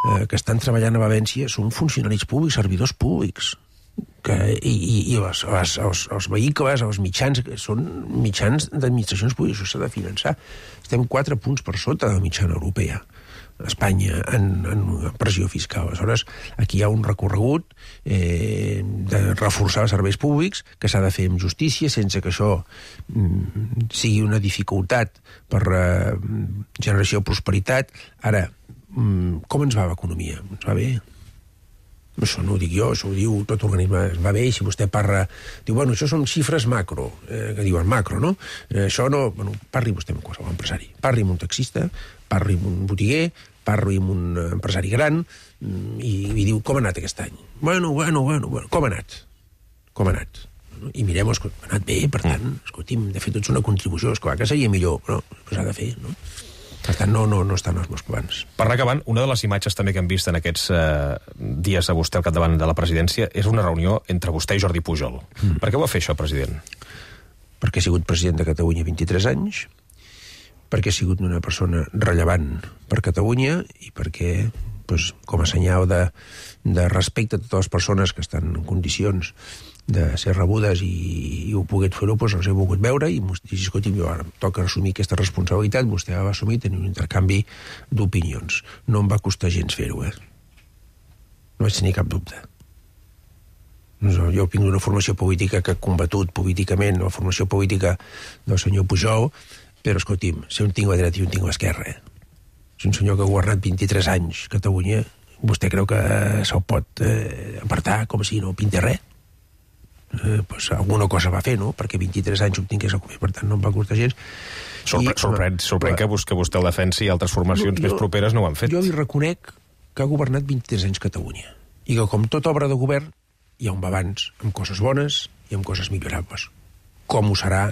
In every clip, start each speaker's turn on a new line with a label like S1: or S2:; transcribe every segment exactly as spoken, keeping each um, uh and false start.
S1: eh, que estan treballant a València són funcionaris públics, servidors públics. Que, i, i, i els, els, els, els vehicles, els mitjans, són mitjans d'administracions públiques, això s'ha de finançar. Estem quatre punts per sota de la mitjana europea, Espanya, en, en pressió fiscal. Aleshores, aquí hi ha un recorregut eh, de reforçar els serveis públics, que s'ha de fer amb justícia, sense que això mm, sigui una dificultat per eh, generació de prosperitat. Ara, mm, com ens va l'economia? Ens va bé? Això no ho dic jo, això ho diu tot organisme, va bé, i si vostè parla... Diu, bueno, això són xifres macro, eh, que diuen macro, no? Eh, això no... Bueno, parli vostè amb qualsevol empresari. Parli amb un taxista, parli amb un botiguer, parli amb un empresari gran, i, i diu, com ha anat aquest any? Bueno, bueno, bueno, bueno, com ha anat? Com ha anat? I mirem, ha anat bé, per tant, escolti'm, de fet, tots una contribució, esclar que seria millor, però s'ha de fer, no? Per tant, no, no, no estan els meus plans.
S2: Per anar acabant, una de les imatges també que hem vist en aquests eh, dies a vostè al capdavant de la presidència és una reunió entre vostè i Jordi Pujol. Mm. Per què ho va fer això, president?
S1: Perquè he sigut president de Catalunya vint-i-tres anys, perquè he sigut una persona rellevant per Catalunya i perquè, doncs, com a senyal de, de respecte a totes les persones que estan en condicions de ser rebudes i, i ho poguet fer-ho, doncs els he volgut veure i m'ho dit, escolti, jo ara em toca assumir aquesta responsabilitat, vostè va assumir tenir un intercanvi d'opinions. No em va costar gens fer-ho, eh? No vaig tenir cap dubte. Jo vinc d'una formació política que he combatut políticament, la formació política del senyor Pujol, però, escolti'm, si un tinc la dreta i un tinc l'esquerra, eh? És un senyor que ha governat vint-i-tres anys Catalunya, vostè creu que se'l pot eh, apartar com si no pinta res? Eh, pues alguna cosa va fer, no? Perquè vint-i-tres anys obtingués el govern, per tant no em va costar gens.
S2: Sorpre I, sorprèn sorprèn que, que vostè el defensi i altres formacions no, jo, més properes no ho han fet.
S1: Jo li reconec que ha governat vint-i-tres anys Catalunya i que, com tota obra de govern, hi ha un balanç amb coses bones i amb coses millorables. Com ho serà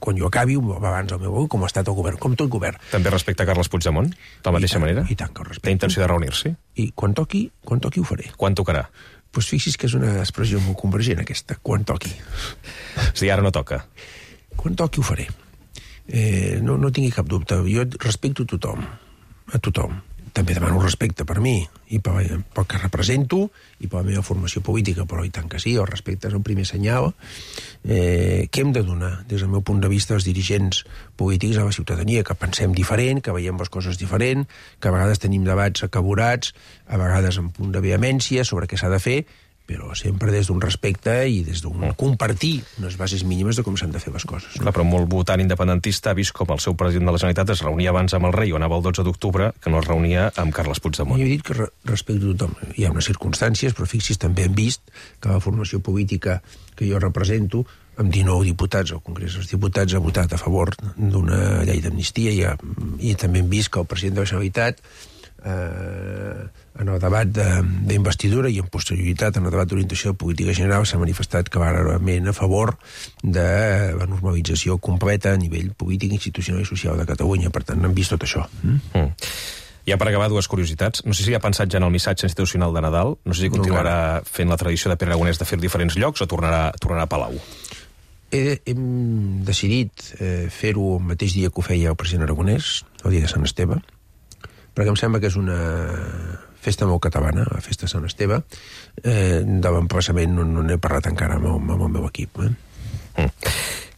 S1: quan jo acabi, un balanç al meu govern, com ha estat el govern, com tot govern.
S2: També respecta Carles Puigdemont, de la mateixa
S1: tant,
S2: manera?
S1: I tant que el respecto.
S2: Té intenció de reunir-s'hi?
S1: I quan toqui, quan toqui ho faré.
S2: Quan tocarà?
S1: Doncs fixi's que és una expressió molt convergent, aquesta, quan toqui.
S2: És a dir, ara no toca.
S1: Quan toqui ho faré. Eh, no, no tingui cap dubte. Jo respecto a tothom, a tothom. També demano respecte per mi i pel, pel que represento i per la meva formació política, però i tant que sí, el respecte és el primer senyal eh, que hem de donar, des del meu punt de vista, els dirigents polítics a la ciutadania, que pensem diferent, que veiem les coses diferent, que a vegades tenim debats acaborats, a vegades amb punt de vehemència sobre què s'ha de fer, però sempre des d'un respecte i des d'un compartir unes bases mínimes de com s'han de fer les coses.
S2: Clar, però molt votant independentista ha vist com el seu president de la Generalitat es reunia abans amb el rei, o anava el dotze d'octubre, que no es reunia amb Carles Puigdemont.
S1: Jo he dit que re respecto a tothom. Hi ha unes circumstàncies, però fixis, també hem vist que la formació política que jo represento, amb dinou diputats al Congrés dels Diputats, ha votat a favor d'una llei d'amnistia i, ha, i també hem vist que el president de la Generalitat eh, en el debat d'investidura i en posterioritat en el debat d'orientació de política general s'ha manifestat clarament a favor de la normalització completa a nivell polític, institucional i social de Catalunya. Per tant, hem vist tot això. Mm? Mm.
S2: Ja per acabar, dues curiositats. No sé si ha pensat ja en el missatge institucional de Nadal, no sé si continuarà no, fent la tradició de Pere Aragonès de fer diferents llocs o tornarà, tornarà a Palau.
S1: He, hem decidit eh, fer-ho el mateix dia que ho feia el president Aragonès, el dia de Sant Esteve, perquè em sembla que és una festa molt catalana, la festa de Sant Esteve. Eh, de l'emplaçament no, no n'he parlat encara amb el, amb el meu equip. Eh?
S2: Mm.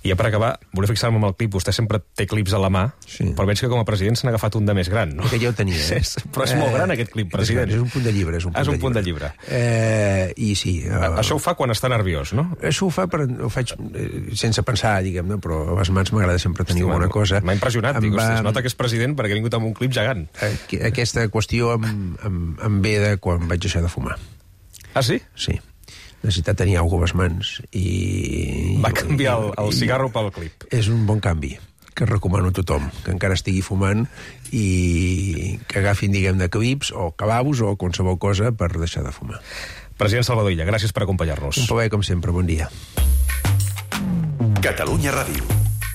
S2: I ja per acabar, volia fixar-me amb el clip. Vostè sempre té clips a la mà, sí. Però veig que com a president s'ha agafat un de més gran, no?
S1: Que ja ho tenia, eh?
S2: És, però és eh, molt gran, aquest clip, president.
S1: És un punt de llibre. És un punt,
S2: és un
S1: de,
S2: punt
S1: llibre.
S2: de llibre.
S1: Eh, I sí.
S2: Eh, això ho fa quan està nerviós, no?
S1: Això ho fa, per, ho faig eh, sense pensar, diguem-ne, però a les mans m'agrada sempre tenir alguna cosa.
S2: M'ha impressionat, dic, va... es nota que és president perquè ha vingut amb un clip gegant.
S1: Aquesta qüestió em, em, em ve de quan vaig deixar de fumar.
S2: Ah, sí?
S1: Sí. Necessitat tenir alguna cosa a les mans i...
S2: Va canviar el, el cigarro pel clip.
S1: És un bon canvi, que recomano a tothom, que encara estigui fumant i que agafin, diguem-ne, clips o cababos o qualsevol cosa per deixar de fumar.
S2: President Salvador Illa, gràcies per acompanyar-nos.
S1: Un plaer, com sempre. Bon dia.
S3: Catalunya Ràdio.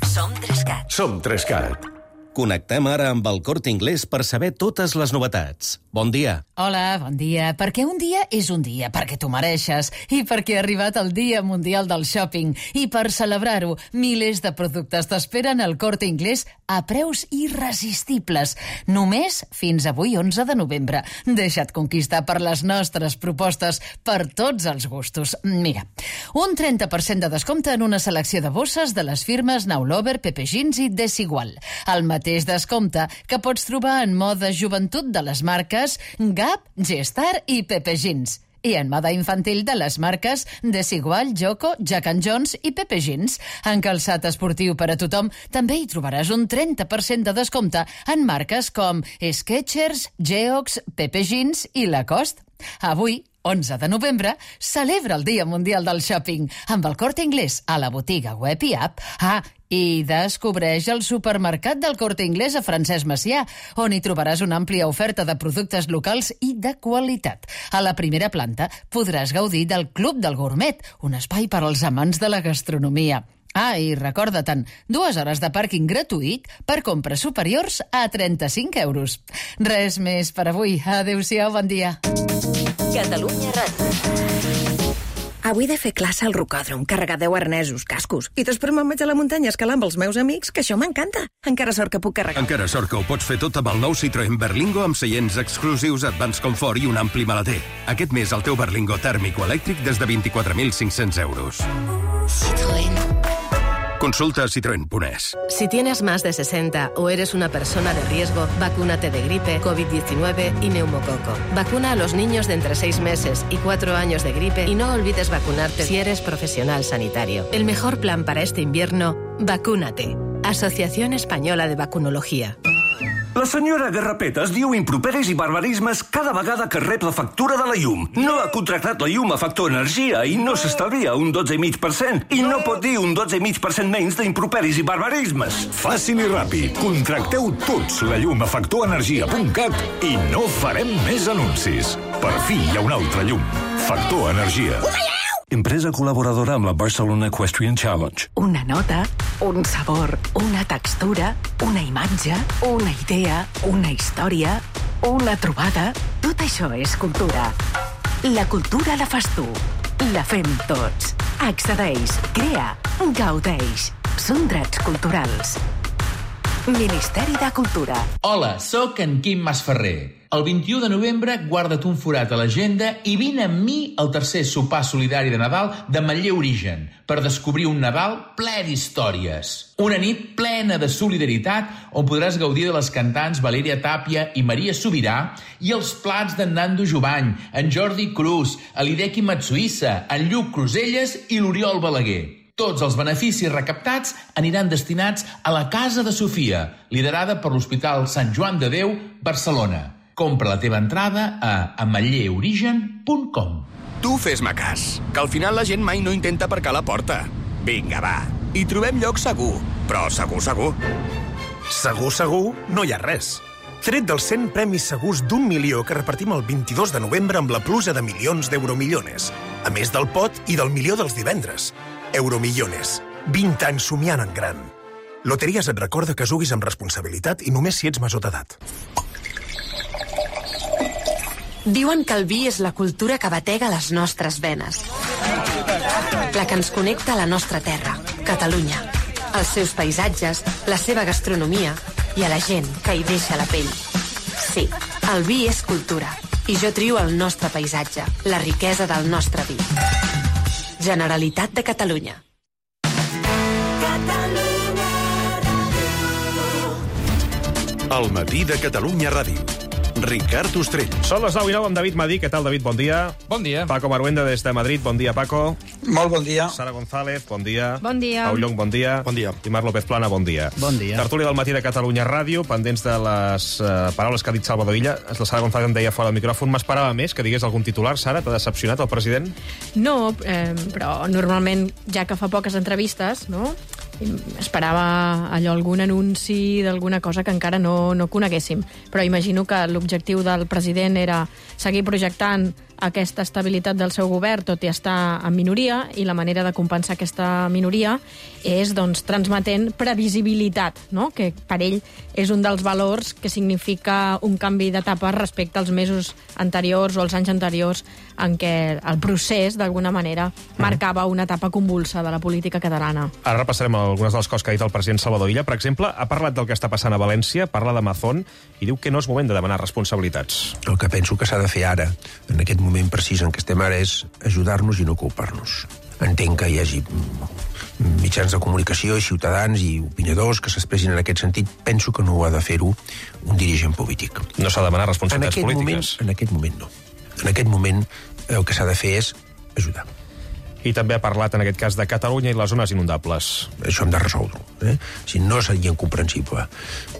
S4: Som Trescat.
S3: Som Trescat. Connectem ara amb el Corte Inglés per saber totes les novetats. Bon dia.
S4: Hola, bon dia. Perquè un dia és un dia, perquè t'ho mereixes, i perquè ha arribat el Dia Mundial del Shopping. I per celebrar-ho, milers de productes t'esperen al Corte Inglés a preus irresistibles. Només fins avui, onze de novembre. Deixa't conquistar per les nostres propostes per tots els gustos. Mira, un trenta per cent de descompte en una selecció de bosses de les firmes Now Lover, Pepe Jeans i Desigual. El mateix descompte que pots trobar en moda joventut de les marques Gap, G-Star i Pepe Jeans. I en moda infantil de les marques Desigual, Joko, Jack and Jones i Pepe Jeans. En calçat esportiu per a tothom també hi trobaràs un trenta per cent de descompte en marques com Skechers, Geox, Pepe Jeans i Lacoste. Avui, onze de novembre, celebra el Dia Mundial del Shopping amb el Corte Inglés a la botiga web i app. Ah, i descobreix el supermercat del Corte Inglés a Francesc Macià, on hi trobaràs una àmplia oferta de productes locals i de qualitat. A la primera planta podràs gaudir del Club del Gourmet, un espai per als amants de la gastronomia. Ah, i recorda-te'n, dues hores de pàrquing gratuït per compres superiors a trenta-cinc euros. Res més per avui. Adéu-siau, bon dia.
S5: Catalunya Ràdio. Avui he de fer classe al rocòdrom, carregar deu arnesos, cascos, i després me'n vaig a la muntanya a escalar amb els meus amics, que això m'encanta. Encara sort que puc carregar.
S6: Encara sort que ho pots fer tot amb el nou Citroën Berlingo amb seients exclusius, Advanced Comfort i un ampli maleter. Aquest mes el teu Berlingo tèrmic o elèctric des de vint-i-quatre mil cinc-cents euros.
S5: Citroën.
S6: Consulta citroen punto es.
S7: Si tienes más de sesenta o eres una persona de riesgo, vacúnate de gripe, COVID diecinueve y neumococo. Vacuna a los niños de entre seis meses y cuatro años de gripe y no olvides vacunarte si eres profesional sanitario. El mejor plan para este invierno, vacúnate. Asociación Española de Vacunología.
S8: La senyora Garrapetes diu improperis i barbarismes cada vegada que rep la factura de la llum. No ha contractat la llum a Factor Energia i no s'estalvia un dotze coma cinc per cent. I no pot dir un dotze coma cinc per cent menys d'improperis i barbarismes.
S9: Fàcil i ràpid. Contracteu tots la llum a factor energia punt cat i no farem més anuncis. Per fi hi ha una altra llum. Factor Energia.
S8: Empresa col·laboradora amb la Barcelona Equestrian Challenge.
S10: Una nota, un sabor, una textura, una imatge, una idea, una història, una trobada... Tot això és cultura. La cultura la fas tu. La fem tots. Accedeix, crea, gaudeix. Són drets culturals. Ministeri de Cultura.
S11: Hola, sóc en Quim Masferrer. El vint-i-u de novembre guarda't un forat a l'agenda i vine amb mi al tercer sopar solidari de Nadal de Manlleu Origen per descobrir un Nadal ple d'històries. Una nit plena de solidaritat on podràs gaudir de les cantants Valèria Tàpia i Maria Sobirà i els plats d'en Nando Jovany, en Jordi Cruz, l'Hideki Matsuissa, en Lluc Cruselles i l'Oriol Balaguer. Tots els beneficis recaptats aniran destinats a la Casa de Sofia, liderada per l'Hospital Sant Joan de Déu, Barcelona. Compra la teva entrada a ametllerigen punt com.
S12: Tu fes-me cas, que al final la gent mai no intenta aparcar a la porta. Vinga, va, hi trobem lloc segur, però segur, segur.
S13: Segur, segur, no hi ha res. Tret dels cent premis segurs d'un milió que repartim el vint-i-dos de novembre amb la pluja de milions d'euromillones, a més del pot i del milió dels divendres. Euromillones. vint anys somiant en gran. Loteries et recorda que juguis amb responsabilitat i només si ets major d'edat.
S14: Diuen que el vi és la cultura que batega les nostres venes. La que ens connecta a la nostra terra, Catalunya. Els seus paisatges, la seva gastronomia i a la gent que hi deixa la pell. Sí, el vi és cultura. I jo trio el nostre paisatge, la riquesa del nostre vi. Generalitat de Catalunya.
S9: El matí de Catalunya Ràdio. Ricard Ostrell.
S2: Són les nou i nou amb David Madí. Què tal, David? Bon dia.
S15: Bon dia.
S2: Paco Maruenda des de Madrid. Bon dia, Paco.
S15: Molt bon dia.
S2: Sara González. Bon dia.
S16: Bon dia.
S2: Pau Llong, bon dia.
S15: Bon dia.
S2: I Marc López Plana, bon dia.
S15: Bon dia.
S2: Tertúlia del matí de Catalunya Ràdio, pendents de les uh, paraules que ha dit Salvador Illa. La Sara González em deia fora del micròfon. M'esperava més que digués algun titular. Sara, t'ha decepcionat el president?
S16: No, eh, però normalment, ja que fa poques entrevistes, no?, esperava allò, algun anunci d'alguna cosa que encara no, no coneguéssim. Però imagino que l'objectiu del president era seguir projectant aquesta estabilitat del seu govern, tot i estar en minoria, i la manera de compensar aquesta minoria és doncs, transmetent previsibilitat, no? Que per ell és un dels valors que significa un canvi d'etapa respecte als mesos anteriors o als anys anteriors en què el procés, d'alguna manera, marcava una etapa convulsa de la política catalana.
S2: Ara repassarem algunes de les coses que ha dit el president Salvador Illa. Per exemple, ha parlat del que està passant a València, parla de Mazón i diu que no és moment de demanar responsabilitats.
S1: El que penso que s'ha de fer ara, en aquest moment precís en què estem ara, és ajudar-nos i no culpar-nos. Entenc que hi hagi mitjans de comunicació i ciutadans i opinadors que s'expressin en aquest sentit. Penso que no ho ha de fer-ho un dirigent polític.
S2: No s'ha de demanar responsabilitats
S1: en
S2: polítiques?
S1: Moment, en aquest moment no. En aquest moment el que s'ha de fer és ajudar.
S2: I també ha parlat, en aquest cas, de Catalunya i les zones inundables.
S1: Això hem de resoldre-ho. Eh? Si no seria incomprensible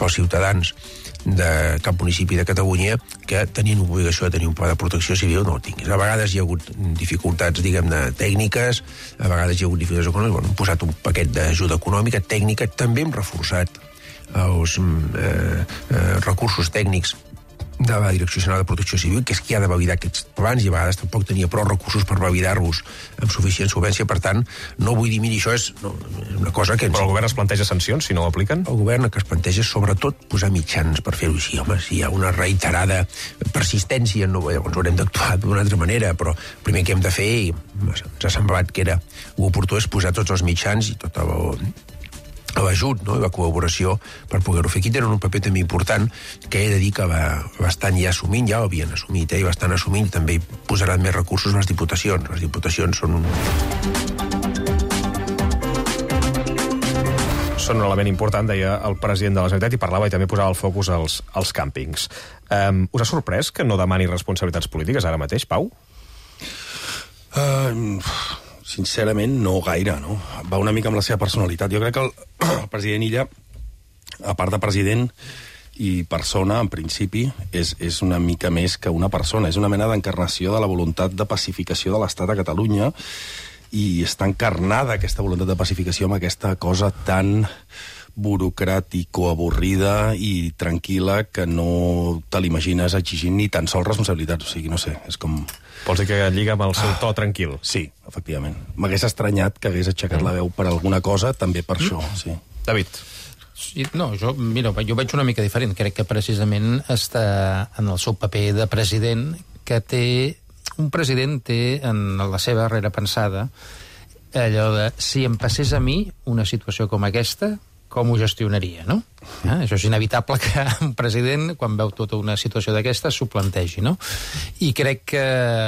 S1: pels ciutadans de cap municipi de Catalunya que tenien obligació de tenir un pla de protecció civil, no el tinguis. A vegades hi ha hagut dificultats, diguem-ne, tècniques, a vegades hi ha hagut dificultats econòmiques, bueno, hem posat un paquet d'ajuda econòmica, tècnica, també hem reforçat els eh, eh, recursos tècnics de la Direcció General de Protecció Civil, que és qui ha de validar aquests plans, i a vegades tampoc tenia prou recursos per validar-los amb suficient solvència. Per tant, no vull dir, miri, això és, no, és una cosa que...
S2: Però el govern es planteja sancions si no ho apliquen?
S1: El govern el que es planteja és, sobretot, posar mitjans per fer-ho així. Home, si hi ha una reiterada persistència, no, llavors haurem d'actuar d'una altra manera, però el primer que hem de fer, i ens ha semblat que era oportú, és posar tots els mitjans i tot el... l'ajut, no? I la col·laboració per poder-ho fer. Aquí tenen un paper també important que he de dir que va bastant ja assumint, ja ho havien assumit, eh? I bastant assumint, i també posaran més recursos a les diputacions. Les diputacions són un...
S2: Són un element important, deia el president de la Generalitat, i parlava i també posava el focus als, als càmpings. Um, us ha sorprès que no demani responsabilitats polítiques ara mateix, Pau?
S15: Uh, sincerament, no gaire, no? Va una mica amb la seva personalitat. Jo crec que el, el president Illa, a part de president i persona, en principi, és, és una mica més que una persona. És una mena d'encarnació de la voluntat de pacificació de l'Estat a Catalunya, i està encarnada aquesta voluntat de pacificació amb aquesta cosa tan burocràtico, avorrida i tranquil·la que no te l'imagines exigint ni tan sols responsabilitats. O sigui, no sé, és com...
S2: Vols dir que lliga amb el seu to tranquil?
S15: Sí, efectivament. M'hagués estranyat que hagués aixecat la veu per alguna cosa, també per això, sí.
S2: David?
S17: Sí, no, jo, mira, jo veig una mica diferent. Crec que precisament està en el seu paper de president, que té... Un president té en la seva darrera pensada allò de, si em passés a mi una situació com aquesta, com ho gestionaria, no? Eh? Això és inevitable que un president, quan veu tota una situació d'aquesta, s'ho plantegi, no? I crec que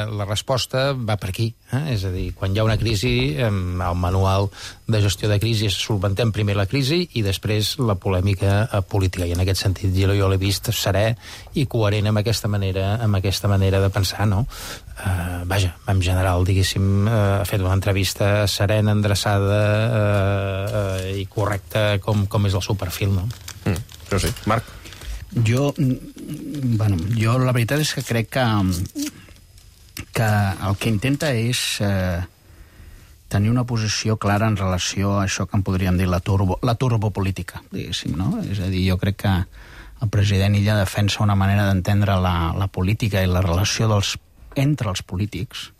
S17: la resposta va per aquí. Eh? És a dir, quan hi ha una crisi, el manual de gestió de crisi és solventem primer la crisi i després la polèmica política. I en aquest sentit jo, jo l'he vist serè i coherent amb aquesta manera, amb aquesta manera de pensar, no? Uh, vaja, en general, diguéssim, uh, ha fet una entrevista serena, endreçada uh, uh, i correcta com, com és el seu perfil, no?
S2: Mm, això sí. Marc?
S18: Jo, bueno, jo la veritat és que crec que, que el que intenta és eh, tenir una posició clara en relació a això que en podríem dir la, turbo, la turbopolítica, diguéssim, no? És a dir, jo crec que el president Illa defensa una manera d'entendre la, la política i la relació dels entre els polítics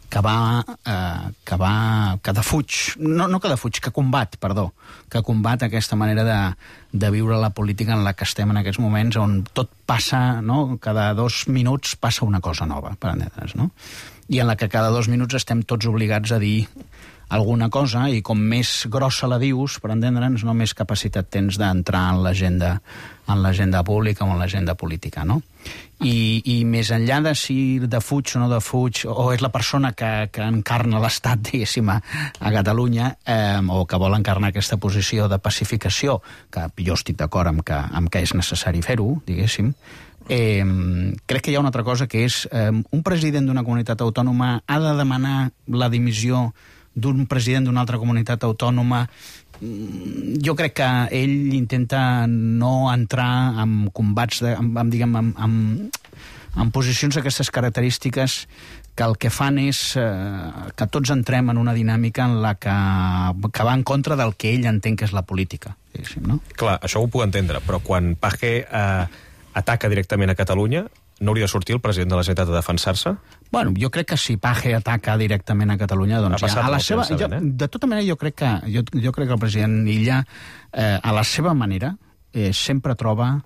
S18: que va, eh, que va, que defuig, no, no que defuig, que combat, perdó, que combat aquesta manera de, de viure la política en la que estem en aquests moments, on tot passa, no? Cada dos minuts passa una cosa nova, per entendre's, no? I en la que cada dos minuts estem tots obligats a dir alguna cosa, i com més grossa la dius, per entendre'ns, no més capacitat tens d'entrar en l'agenda en l'agenda pública o en l'agenda política, no? I, i més enllà de si defuig o no defuig, o és la persona que, que encarna l'Estat, diguéssim, a, a Catalunya, eh, o que vol encarnar aquesta posició de pacificació, que jo estic d'acord amb que, amb que és necessari fer-ho, diguéssim, eh, crec que hi ha una altra cosa, que és eh, un president d'una comunitat autònoma ha de demanar la dimissió d'un president d'una altra comunitat autònoma. Jo crec que ell intenta no entrar en combats, de, en, en, diguem, en, en, en posicions d'aquestes característiques que el que fan és eh, que tots entrem en una dinàmica en la que, que va en contra del que ell entén que és la política. No?
S2: Clar, això ho puc entendre, però quan Page eh, ataca directament a Catalunya, no hauria de sortir el president de la Generalitat a defensar-se?
S18: Bueno, jo crec que si Paje ataca directament a Catalunya, doncs
S2: Ha
S18: ja,
S2: passat
S18: a la
S2: molt
S18: seva,
S2: temps,
S18: jo,
S2: sabent, eh?
S18: de tota manera, jo crec que, jo, jo crec que el president Illa, eh, a la seva manera, eh, sempre troba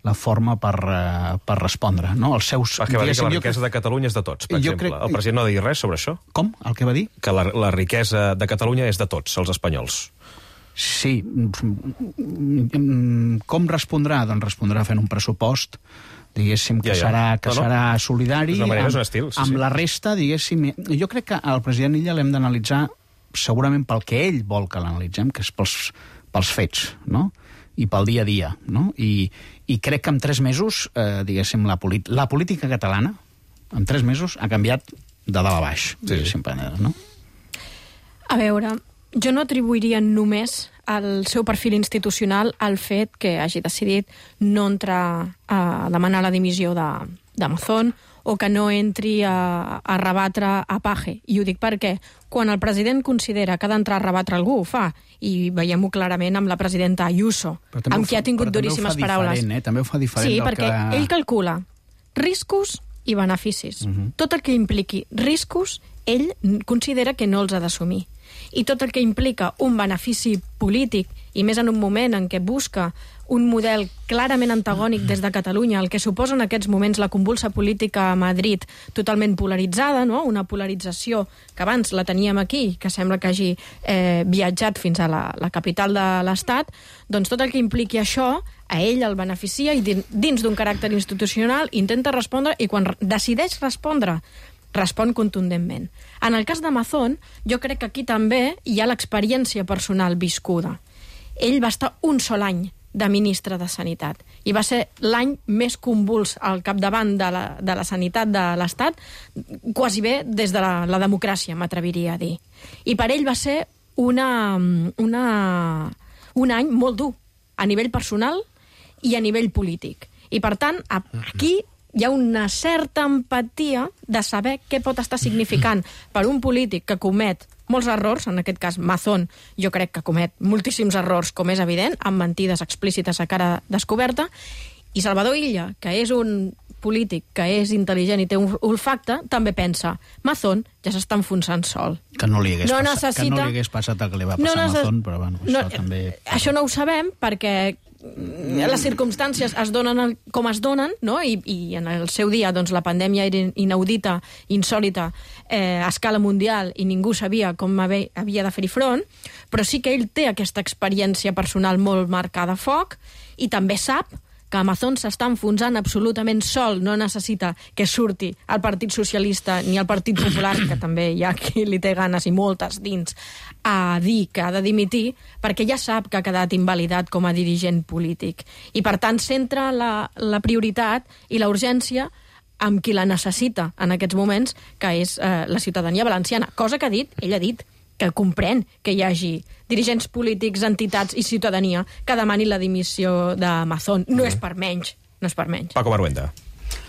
S18: la forma per, eh, per respondre, no? Els seus...
S2: Perquè va dir que la
S18: jo
S2: riquesa
S18: crec-
S2: de Catalunya és de tots, per
S18: Jo
S2: exemple.
S18: crec-
S2: El president no ha dit res sobre això?
S18: Com? El que va dir?
S2: Que la, la riquesa de Catalunya és de tots, els espanyols.
S18: Sí. Com respondrà? Doncs respondrà fent un pressupost, diguéssim, que
S2: Ja, ja.
S18: serà, que
S2: No, no.
S18: serà solidari.
S2: És una manera,
S18: amb,
S2: és un estil, sí,
S18: amb
S2: sí.
S18: la resta, diguéssim... Jo crec que el president Illa l'hem d'analitzar segurament pel que ell vol que l'analitzem, que és pels, pels fets, no? I pel dia a dia, no? I, i crec que en tres mesos, eh, diguéssim, la, la política catalana, en tres mesos, ha canviat de dalt a baix, sí. diguéssim, no?
S16: A veure, jo no atribuiria només al seu perfil institucional al fet que hagi decidit no entrar a demanar la dimissió d'Amazon o que no entri a, a rebatre a Paje. I ho dic perquè quan el president considera que ha d'entrar a rebatre algú, ho fa. I veiem-ho clarament amb la presidenta Ayuso, amb qui ha tingut duríssimes paraules.
S18: Eh? També ho fa diferent
S16: Sí,
S18: del
S16: perquè
S18: que...
S16: ell calcula riscos i beneficis.
S18: Mhm.
S16: Tot el que impliqui riscos, ell considera que no els ha d'assumir. I tot el que implica un benefici polític, i més en un moment en què busca un model clarament antagònic des de Catalunya, el que suposa en aquests moments la convulsa política a Madrid totalment polaritzada, no? Una polarització que abans la teníem aquí, que sembla que hagi eh, viatjat fins a la, la capital de l'Estat, doncs tot el que impliqui això, a ell el beneficia i dins d'un caràcter institucional intenta respondre i quan decideix respondre respon contundentment. En el cas d'Amazon, jo crec que aquí també hi ha l'experiència personal viscuda. Ell va estar un sol any de ministre de Sanitat i va ser l'any més convuls al capdavant de la, de la sanitat de l'Estat, quasi bé des de la, la democràcia, m'atreviria a dir. I per ell va ser una, una, un any molt dur a nivell personal i a nivell polític. I per tant, aquí hi ha una certa empatia de saber què pot estar significant per un polític que comet molts errors, en aquest cas Mazón, jo crec que comet moltíssims errors, com és evident, amb mentides explícites a cara descoberta, i Salvador Illa, que és un polític que és intel·ligent i té un olfacte, també pensa, Mazón ja s'està enfonsant sol.
S18: Que no li hagués,
S16: no
S18: passat,
S16: necessita...
S18: que no li hagués passat el que li va passar
S16: no
S18: a
S16: necess...
S18: Mazón, però bueno,
S16: no,
S18: això també...
S16: Això no ho sabem perquè les circumstàncies es donen com es donen, no? I, i en el seu dia doncs, la pandèmia era inaudita, insòlita, eh, a escala mundial, i ningú sabia com havia de fer-hi front, però sí que ell té aquesta experiència personal molt marcada a foc i també sap que Amazon s'està enfonsant absolutament sol, no necessita que surti el Partit Socialista ni el Partit Popular, que també hi ha qui li té ganes i moltes dins, a dir que ha de dimitir, perquè ja sap que ha quedat invalidat com a dirigent polític. I per tant centra la, la prioritat i la urgència amb qui la necessita en aquests moments, que és eh, la ciutadania valenciana. Cosa que ha dit, ell ha dit, que comprèn que hi hagi dirigents polítics, entitats i ciutadania que demani la dimissió d'Amazon. No és per menys, no és per menys.
S2: Paco Baruenda.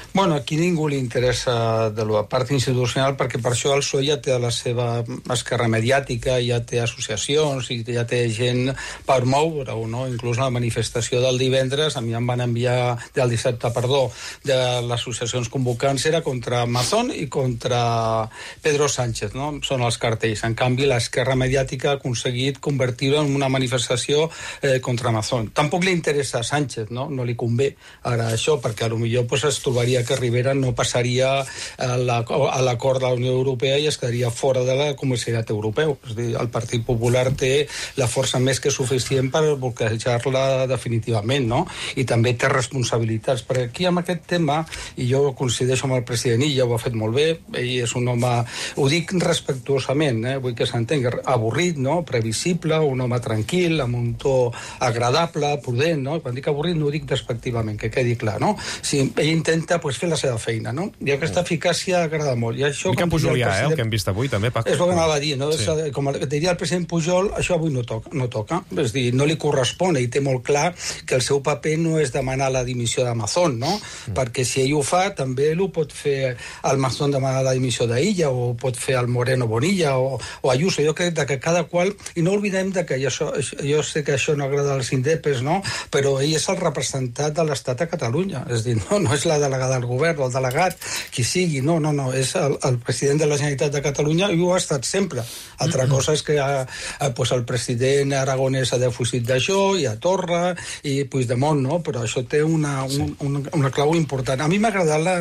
S19: Bueno, aquí ningú li interessa de la part institucional perquè per això el P S O E ja té la seva esquerra mediàtica, ja té associacions i ja té gent per moure-ho, no? Inclús la manifestació del divendres, a mi em van enviar, del dissabte, perdó, de les associacions convocants era contra Amazon i contra Pedro Sánchez, no? Són els cartells. En canvi, l'esquerra mediàtica ha aconseguit convertir-ho en una manifestació eh, contra Amazon. Tampoc li interessa a Sánchez, no? No li convé ara això, perquè potser pues, es trobaria que Rivera no passaria a l'acord de la Unió Europea i es quedaria fora de la Comunitat Europeu. És a dir, el Partit Popular té la força més que suficient per bloquejar-la definitivament, no? I també té responsabilitats. Perquè aquí, amb aquest tema, i jo coincideixo amb el president Illa, ho ha fet molt bé, ell és un home, ho dic respectuosament, eh? Vull que s'entengui, avorrit, no? Previsible, un home tranquil, amb un to agradable, prudent, no? Quan dic avorrit no ho dic despectivament, que quedi clar, no? Si ell intenta pues, fer la seva feina, no? I aquesta eficàcia agrada molt. I això,
S2: Mica Pujolià, president... eh, el que hem vist avui, també, Paco.
S19: És el que anava a dir, no?
S2: Sí.
S19: És, com diria el president Pujol, això avui no toca, no toca. És dir, no li correspon, i té molt clar que el seu paper no és demanar la dimissió d'Amazon, no? Mm. Perquè si ell ho fa, també ho pot fer el Mazón demanar la dimissió d'Illa, o pot fer el Moreno Bonilla, o, o Ayuso. Jo crec que cada qual... I no oblidem de que això, jo sé que això no agrada als indepes, no? Però ell és el representant de l'Estat a Catalunya. És dir, no, no és la delegada del govern o el delegat, qui sigui, no, no, no, és el, el president de la Generalitat de Catalunya i ho ha estat sempre. Altra mm-hmm. cosa és que a, a, pues, el president Aragonès ha defugit d'això, i a Torra, i Puigdemont, no? Però això té una, un, una, una clau important. A mi m'ha agradat la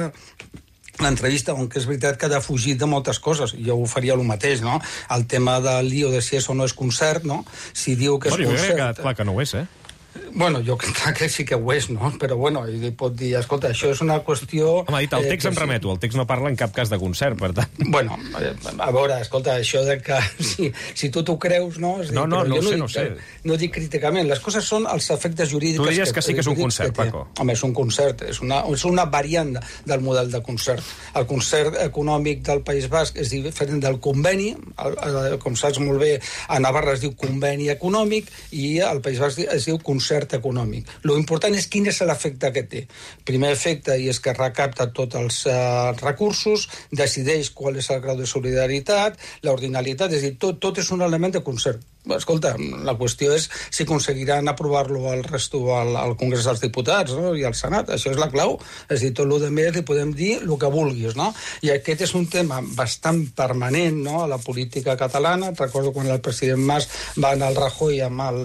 S19: l'entrevista, on que és veritat que ha defugit de moltes coses, jo ho faria el mateix, no? El tema del lío de si és o no és concert, no? Si diu que és
S2: bueno,
S19: concert...
S2: Jo crec que ha quedat clar que no ho és, eh?
S19: Bueno, jo crec que sí que ho és, no? Però, bueno, ell pot dir, escolta, això és una qüestió...
S2: Home, ha dit, el text eh, em remeto, el text no parla en cap cas de concert, per tant...
S19: Bueno, a veure, escolta, això de que si, si tu t'ho creus, no? És dir,
S2: no, no, no,
S19: no
S2: sé,
S19: dic,
S2: no sé.
S19: No dic críticament, les coses són els efectes jurídics...
S2: Tu diries que, que sí que és un concert, Paco.
S19: Home, és un concert, és una, és una variant del model de concert. El concert econòmic del País Basc és diferent del conveni, el, el, com saps molt bé, a Navarra es diu conveni econòmic i al País Basc es diu concert econòmic. Lo important és quin és l'efecte que té. Primer efecte, i és que recapta tots els uh, recursos, decideix qual és el grau de solidaritat, l'ordinalitat, és a dir, tot, tot és un element de concert. Escolta, la qüestió és si aconseguiran aprovar-lo al resto al, al Congrés dels Diputats, no? I al Senat. Això és la clau. És a dir, tot el que més li podem dir el que vulguis, no? I aquest és un tema bastant permanent, no?, a la política catalana. Recordo quan el president Mas va anar al Rajoy amb el,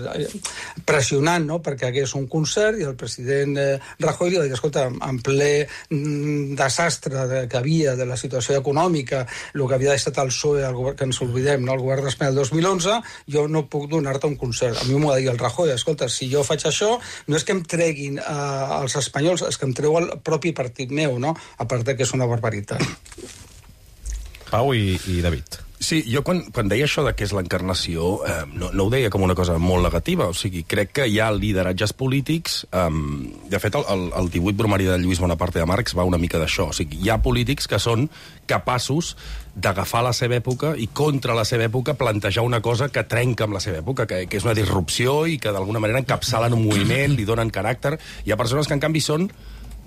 S19: pressionant, no?, perquè hagués un concert, i el president eh, Rajoy li va dir, escolta, en ple mm, desastre de, que havia de la situació econòmica, el que havia estat el P S O E, el govern, que ens oblidem, no?, el govern d'Espanya el dos mil onze, jo no puc donar-te un concert. A mi m'ho ha de dir el Rajoy, escolta, si jo faig això, no és que em treguin eh, els espanyols, és que em treu el propi partit meu, no?, a part que és una barbaritat.
S2: Pau i, i David.
S15: Sí, jo quan, quan deia això de què és l'encarnació, eh, no, no ho deia com una cosa molt negativa, o sigui, crec que hi ha lideratges polítics, eh, de fet, el, el, el divuit bromari de Lluís Bonaparte de Marx va una mica d'això, o sigui, hi ha polítics que són capaços d'agafar la seva època i contra la seva època plantejar una cosa que trenca amb la seva època, que, que és una disrupció i que d'alguna manera encapçalen un moviment, li donen caràcter. Hi ha persones que, en canvi, són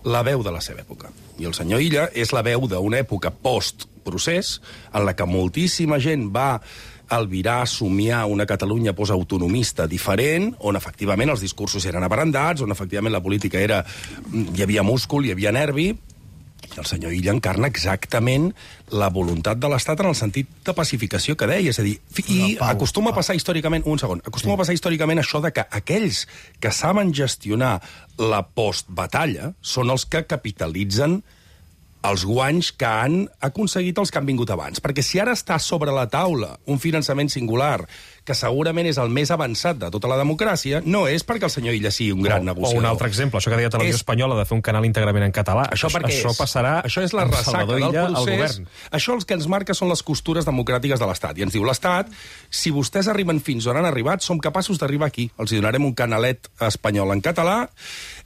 S15: la veu de la seva època. I el senyor Illa és la veu d'una època post-procés en la que moltíssima gent va albirar, somiar una Catalunya postautonomista diferent, on efectivament els discursos eren abrandats, on efectivament la política era... hi havia múscul, hi havia nervi. El senyor Illa encarna exactament la voluntat de l'Estat en el sentit de pacificació que deia, és a dir, i acostuma a passar històricament, un segon, acostuma a passar històricament això de que aquells que saben gestionar la postbatalla són els que capitalitzen els guanys que han aconseguit els que han vingut abans. Perquè si ara està sobre la taula un finançament singular que segurament és el més avançat de tota la democràcia, no és perquè el senyor Illa sigui un gran
S2: o,
S15: negociador.
S2: O un altre exemple, això que deia Televisió és... Espanyola de fer un canal íntegrament en català.
S15: Això, això,
S2: això passarà
S15: això és la ressaca del procés. Això el que ens marca són les costures democràtiques de l'Estat. I ens diu l'Estat, si vostès arriben fins on han arribat, som capaços d'arribar aquí. Els hi donarem un canalet espanyol en català,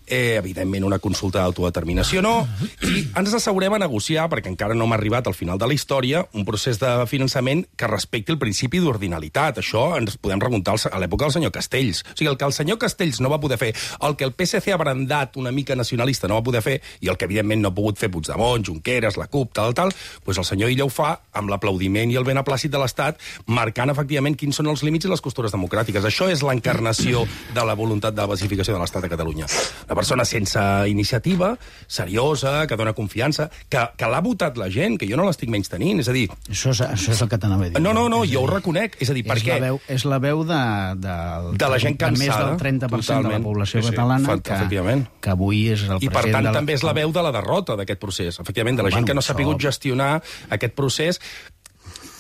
S15: eh, evidentment una consulta d'autodeterminació no, i ens assegurem a negociar, perquè encara no hem arribat al final de la història, un procés de finançament que respecti el principi d'ordinalitat. Això ens podem remuntar a l'època del senyor Castells. O sigui, el que el senyor Castells no va poder fer, el que el P S C ha brandat una mica nacionalista no va poder fer, i el que evidentment no ha pogut fer Puigdemont, Junqueras, la CUP, tal, tal, doncs el senyor Illa ho fa amb l'aplaudiment i el beneplàcit de l'Estat, marcant efectivament quins són els límits i les costures democràtiques. Això és l'encarnació de la voluntat de la pacificació de l'Estat a Catalunya. Una persona sense iniciativa, seriosa, que dona confiança, que, que l'ha votat la gent, que jo no l'estic menys tenint, és a dir...
S18: Això és, això és el que t'anava a dir.
S15: No, no, no, jo ho reconec, és a dir, per què?
S18: La veu, és la veu de, de,
S15: de la gent cansada,
S18: de més del trenta per cent totalment, de la població
S15: sí, sí,
S18: catalana,
S15: que,
S18: que avui és el
S15: I
S18: president...
S15: per tant
S18: de la...
S15: també és la veu de la derrota d'aquest procés, efectivament, de la gent
S18: bueno,
S15: que no s'ha pogut gestionar aquest procés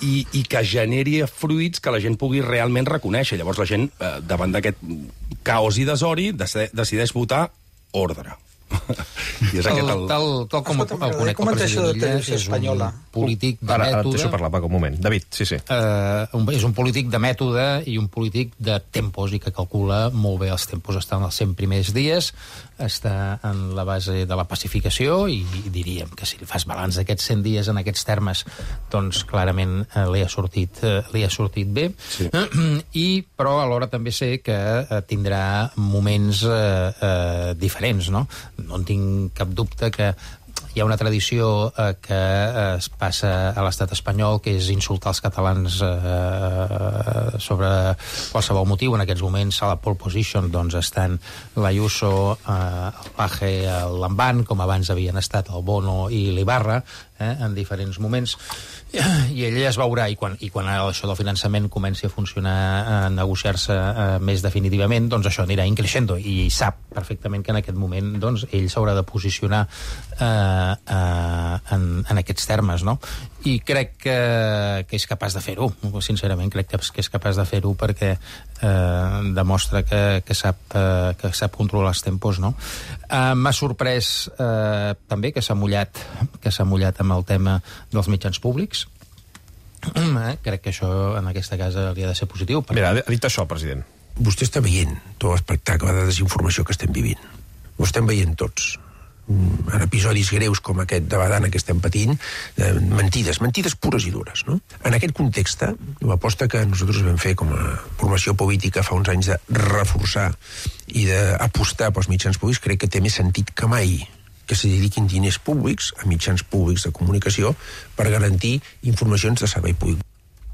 S15: i, i que generi fruits que la gent pugui realment reconèixer. Llavors la gent, eh, davant d'aquest caos i desori, decideix votar ordre. I és aquest el...
S17: Tal, tal com
S19: Escolta,
S17: el conec el president Illa, és un polític de
S2: ara,
S17: mètode...
S2: Ara et deixo parlar, Paco, un moment. David, sí, sí.
S17: Uh, un, és un polític de mètode i un polític de tempos, i que calcula molt bé els tempos. Està en els cent primers dies, està en la base de la pacificació, i, i diríem que si li fas balanç d'aquests cent dies en aquests termes, doncs clarament uh, li, ha sortit, uh, li ha sortit bé. Sí. Uh, i, però alhora també sé que uh, tindrà moments uh, uh, diferents, no? No en tinc cap dubte que hi hi ha una tradició eh, que eh, es passa a l'estat espanyol, que és insultar els catalans eh, sobre qualsevol motiu. En aquests moments, a la pole position, doncs, estan l'Ayuso, eh, el Paje, el Lamban, com abans havien estat el Bono i l'Ibarra, eh, en diferents moments. I ell es veurà, i quan, i quan això del finançament comenci a funcionar, a negociar-se eh, més definitivament, doncs això anirà increixendo, i sap perfectament que en aquest moment doncs, ell s'haurà de posicionar eh, eh, en, en aquests termes, no? I crec que, que és capaç de fer-ho, sincerament crec que, que és capaç de fer-ho perquè eh, demostra que, que, sap, eh, que sap controlar els tempos, no? Eh, m'ha sorprès eh, també que s'ha mullat, que s'ha mullat amb el tema dels mitjans públics. Eh, crec que això en aquesta casa hauria de ser positiu. Perquè...
S2: Mira, ha dit això, president.
S1: Vostè està veient tot l'espectacle de desinformació que estem vivint. Ho estem veient tots. En episodis greus com aquest de Badana que estem patint, eh, mentides, mentides pures i dures, no? En aquest context, l'aposta que nosaltres vam fer com a formació política fa uns anys de reforçar i d'apostar pels mitjans públics, crec que té més sentit que mai que se dediquin diners públics a mitjans públics de comunicació per garantir informacions de servei públic.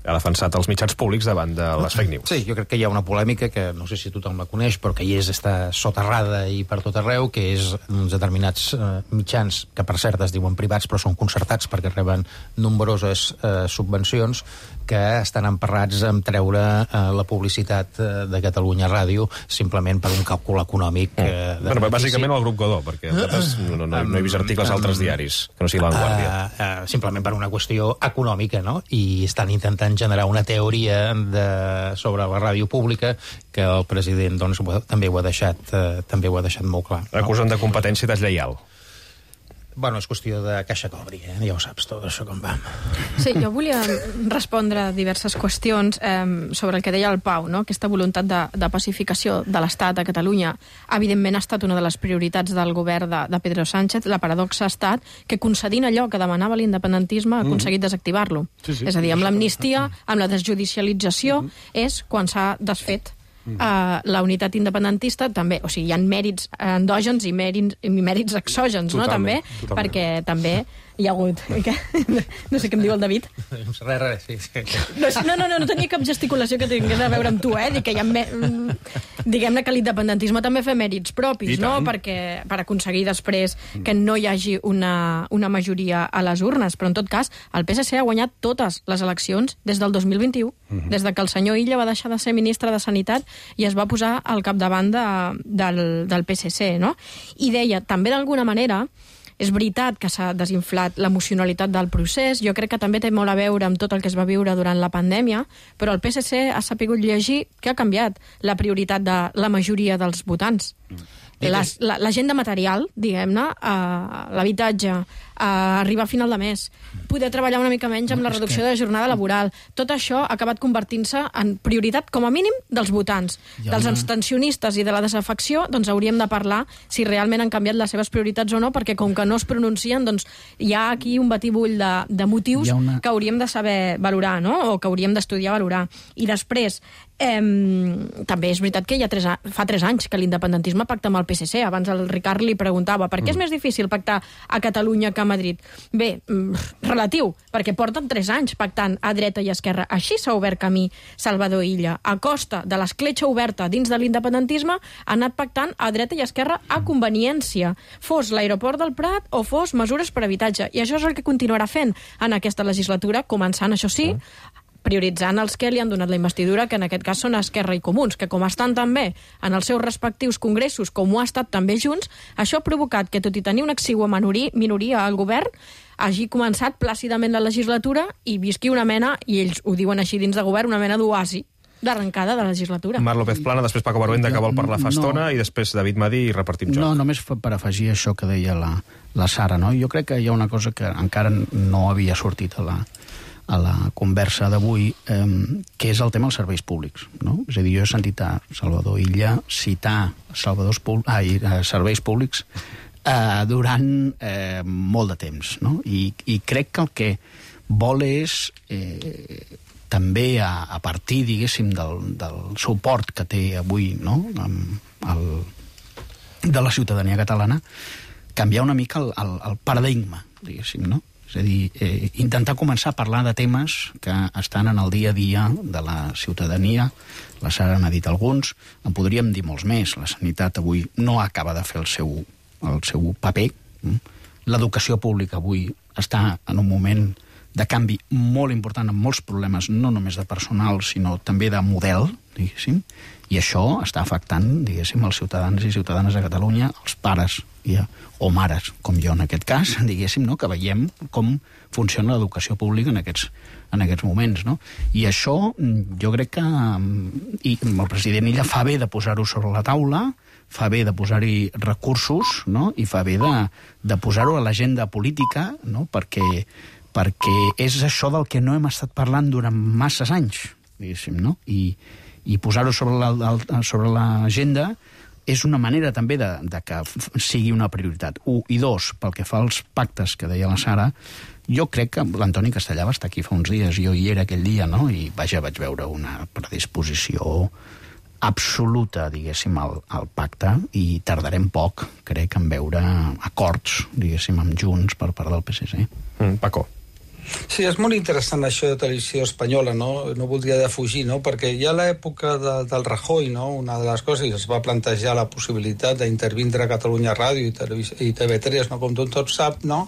S2: Ha defensat els mitjans públics davant de les fake news.
S17: Sí, jo crec que hi ha una polèmica que no sé si tothom la coneix, però que hi és, està soterrada i per tot arreu, que és uns determinats eh, mitjans, que per cert es diuen privats, però són concertats perquè reben nombroses eh, subvencions, que estan emparrats en treure eh, la publicitat eh, de Catalunya Ràdio simplement per un càlcul econòmic. Eh,
S2: bueno, bàsicament el grup Godó, perquè nosaltres no, no, no he vist articles a altres diaris, que no sigui La Vanguardia.
S17: Uh, uh, simplement per una qüestió econòmica, no? I estan intentant generar una teoria de, sobre la ràdio pública que el president doncs, també, ho ha deixat, uh, també ho ha deixat molt clar.
S2: Acusen de competència deslleial.
S17: Bueno, és qüestió de caixa cobri, eh? Ja ho saps, tot això com va.
S16: Sí, jo volia respondre a diverses qüestions eh, sobre el que deia el Pau, no? Aquesta voluntat de, de pacificació de l'Estat a Catalunya evidentment ha estat una de les prioritats del govern de, de Pedro Sánchez. La paradoxa ha estat que concedint allò que demanava l'independentisme ha aconseguit desactivar-lo. Sí, sí. És a dir, amb l'amnistia, amb la desjudicialització, és quan s'ha desfet Uh, la unitat independentista també, o sigui, hi ha mèrits endògens i mèrits, i mèrits exògens, no, també, totalment. Perquè també hi ha hagut... No sé què em diu el David.
S17: Res, res, sí. sí.
S16: No, no, no, no tenia cap gesticulació que tingués a veure amb tu, eh? Dic que hi ha... Me... Diguem-ne que l'independentisme també fa mèrits propis, no? Perquè per aconseguir després que no hi hagi una, una majoria a les urnes. Però, en tot cas, el P S C ha guanyat totes les eleccions des del dos mil vint-i-u, uh-huh. des de que el senyor Illa va deixar de ser ministre de Sanitat i es va posar al capdavant de, del, del P S C, no? I deia, també d'alguna manera, és veritat que s'ha desinflat l'emocionalitat del procés, jo crec que també té molt a veure amb tot el que es va viure durant la pandèmia, però el P S C ha sapigut llegir que ha canviat la prioritat de la majoria dels votants. L'agenda material, diguem-ne, uh, l'habitatge, uh, arribar a final de mes, poder treballar una mica menys amb la reducció de la jornada laboral, tot això ha acabat convertint-se en prioritat, com a mínim, dels votants. Dels abstencionistes i de la desafecció, doncs hauríem de parlar si realment han canviat les seves prioritats o no, perquè com que no es pronuncien, doncs hi ha aquí un batibull de, de motius una... que hauríem de saber valorar, no? O que hauríem d'estudiar valorar. I després, eh, també és veritat que hi ha tres, fa tres anys que l'independentisme pacta amb el P S C. Abans el Ricard li preguntava per què és més difícil pactar a Catalunya que a Madrid. Bé, relatiu, perquè porten tres anys pactant a dreta i esquerra. Així s'ha obert camí Salvador Illa. A costa de l'escletxa oberta dins de l'independentisme, ha anat pactant a dreta i esquerra a conveniència. Fos l'aeroport del Prat o fos mesures per habitatge. I això és el que continuarà fent en aquesta legislatura, començant, això sí, prioritzant els que li han donat la investidura, que en aquest cas són Esquerra i Comuns, que com estan també en els seus respectius congressos, com ho ha estat també Junts, això ha provocat que, tot i tenir una exigua minoria al govern, hagi començat plàcidament la legislatura i visqui una mena, i ells ho diuen així dins de govern, una mena d'oasi d'arrencada de la legislatura.
S2: Marc López Plana, després Paco Baruenda, que vol parlar fa estona, i després David Madí i repartim joc.
S18: No, només per afegir això que deia la, la Sara, no? Jo crec que hi ha una cosa que encara no havia sortit a la, a la conversa d'avui, eh, que és el tema dels serveis públics, no? És a dir, jo he sentit a Salvador Illa citar Salvadors públics, ah, serveis públics eh, durant eh, molt de temps, no? I, i crec que el que vol és eh, també a, a partir, diguéssim, del, del suport que té avui, no?, amb el, de la ciutadania catalana, canviar una mica el, el, el paradigma, diguéssim, no? És a dir, eh, intentar començar a parlar de temes que estan en el dia a dia de la ciutadania. La Sara n'ha dit alguns, en podríem dir molts més. La sanitat avui no acaba de fer el seu, el seu paper. L'educació pública avui està en un moment de canvi molt important, amb molts problemes, no només de personal, sinó també de model, diguéssim, i això està afectant, diguéssim, els ciutadans i ciutadanes de Catalunya, els pares i, o mares, com jo en aquest cas, diguéssim, no? Que veiem com funciona l'educació pública en aquests, en aquests moments, no? I això, jo crec que i el president Illa fa bé de posar-ho sobre la taula, fa bé de posar-hi recursos, no? I fa bé de, de posar-ho a l'agenda política, no? Perquè, perquè és això del que no hem estat parlant durant masses anys, diguéssim, no? I, i posar-ho sobre la, sobre l'agenda és una manera també de, de que sigui una prioritat. Un. I dos, pel que fa als pactes que deia la Sara, jo crec que l'Antoni Castellà va estar aquí fa uns dies, jo hi era aquell dia, no? I vaja, vaig veure una predisposició absoluta, diguéssim, al, al pacte, i tardarem poc, crec, en veure acords, diguéssim, amb Junts per part del P S C.
S2: Mm, Paco.
S19: Sí, és molt interessant això de televisió espanyola, no? No voldria defugir, no? Perquè ja a l'època de, del Rajoy, no? Una de les coses, es va plantejar la possibilitat d'intervindre a Catalunya Ràdio i, i T V tres, no? Com tot sap, no?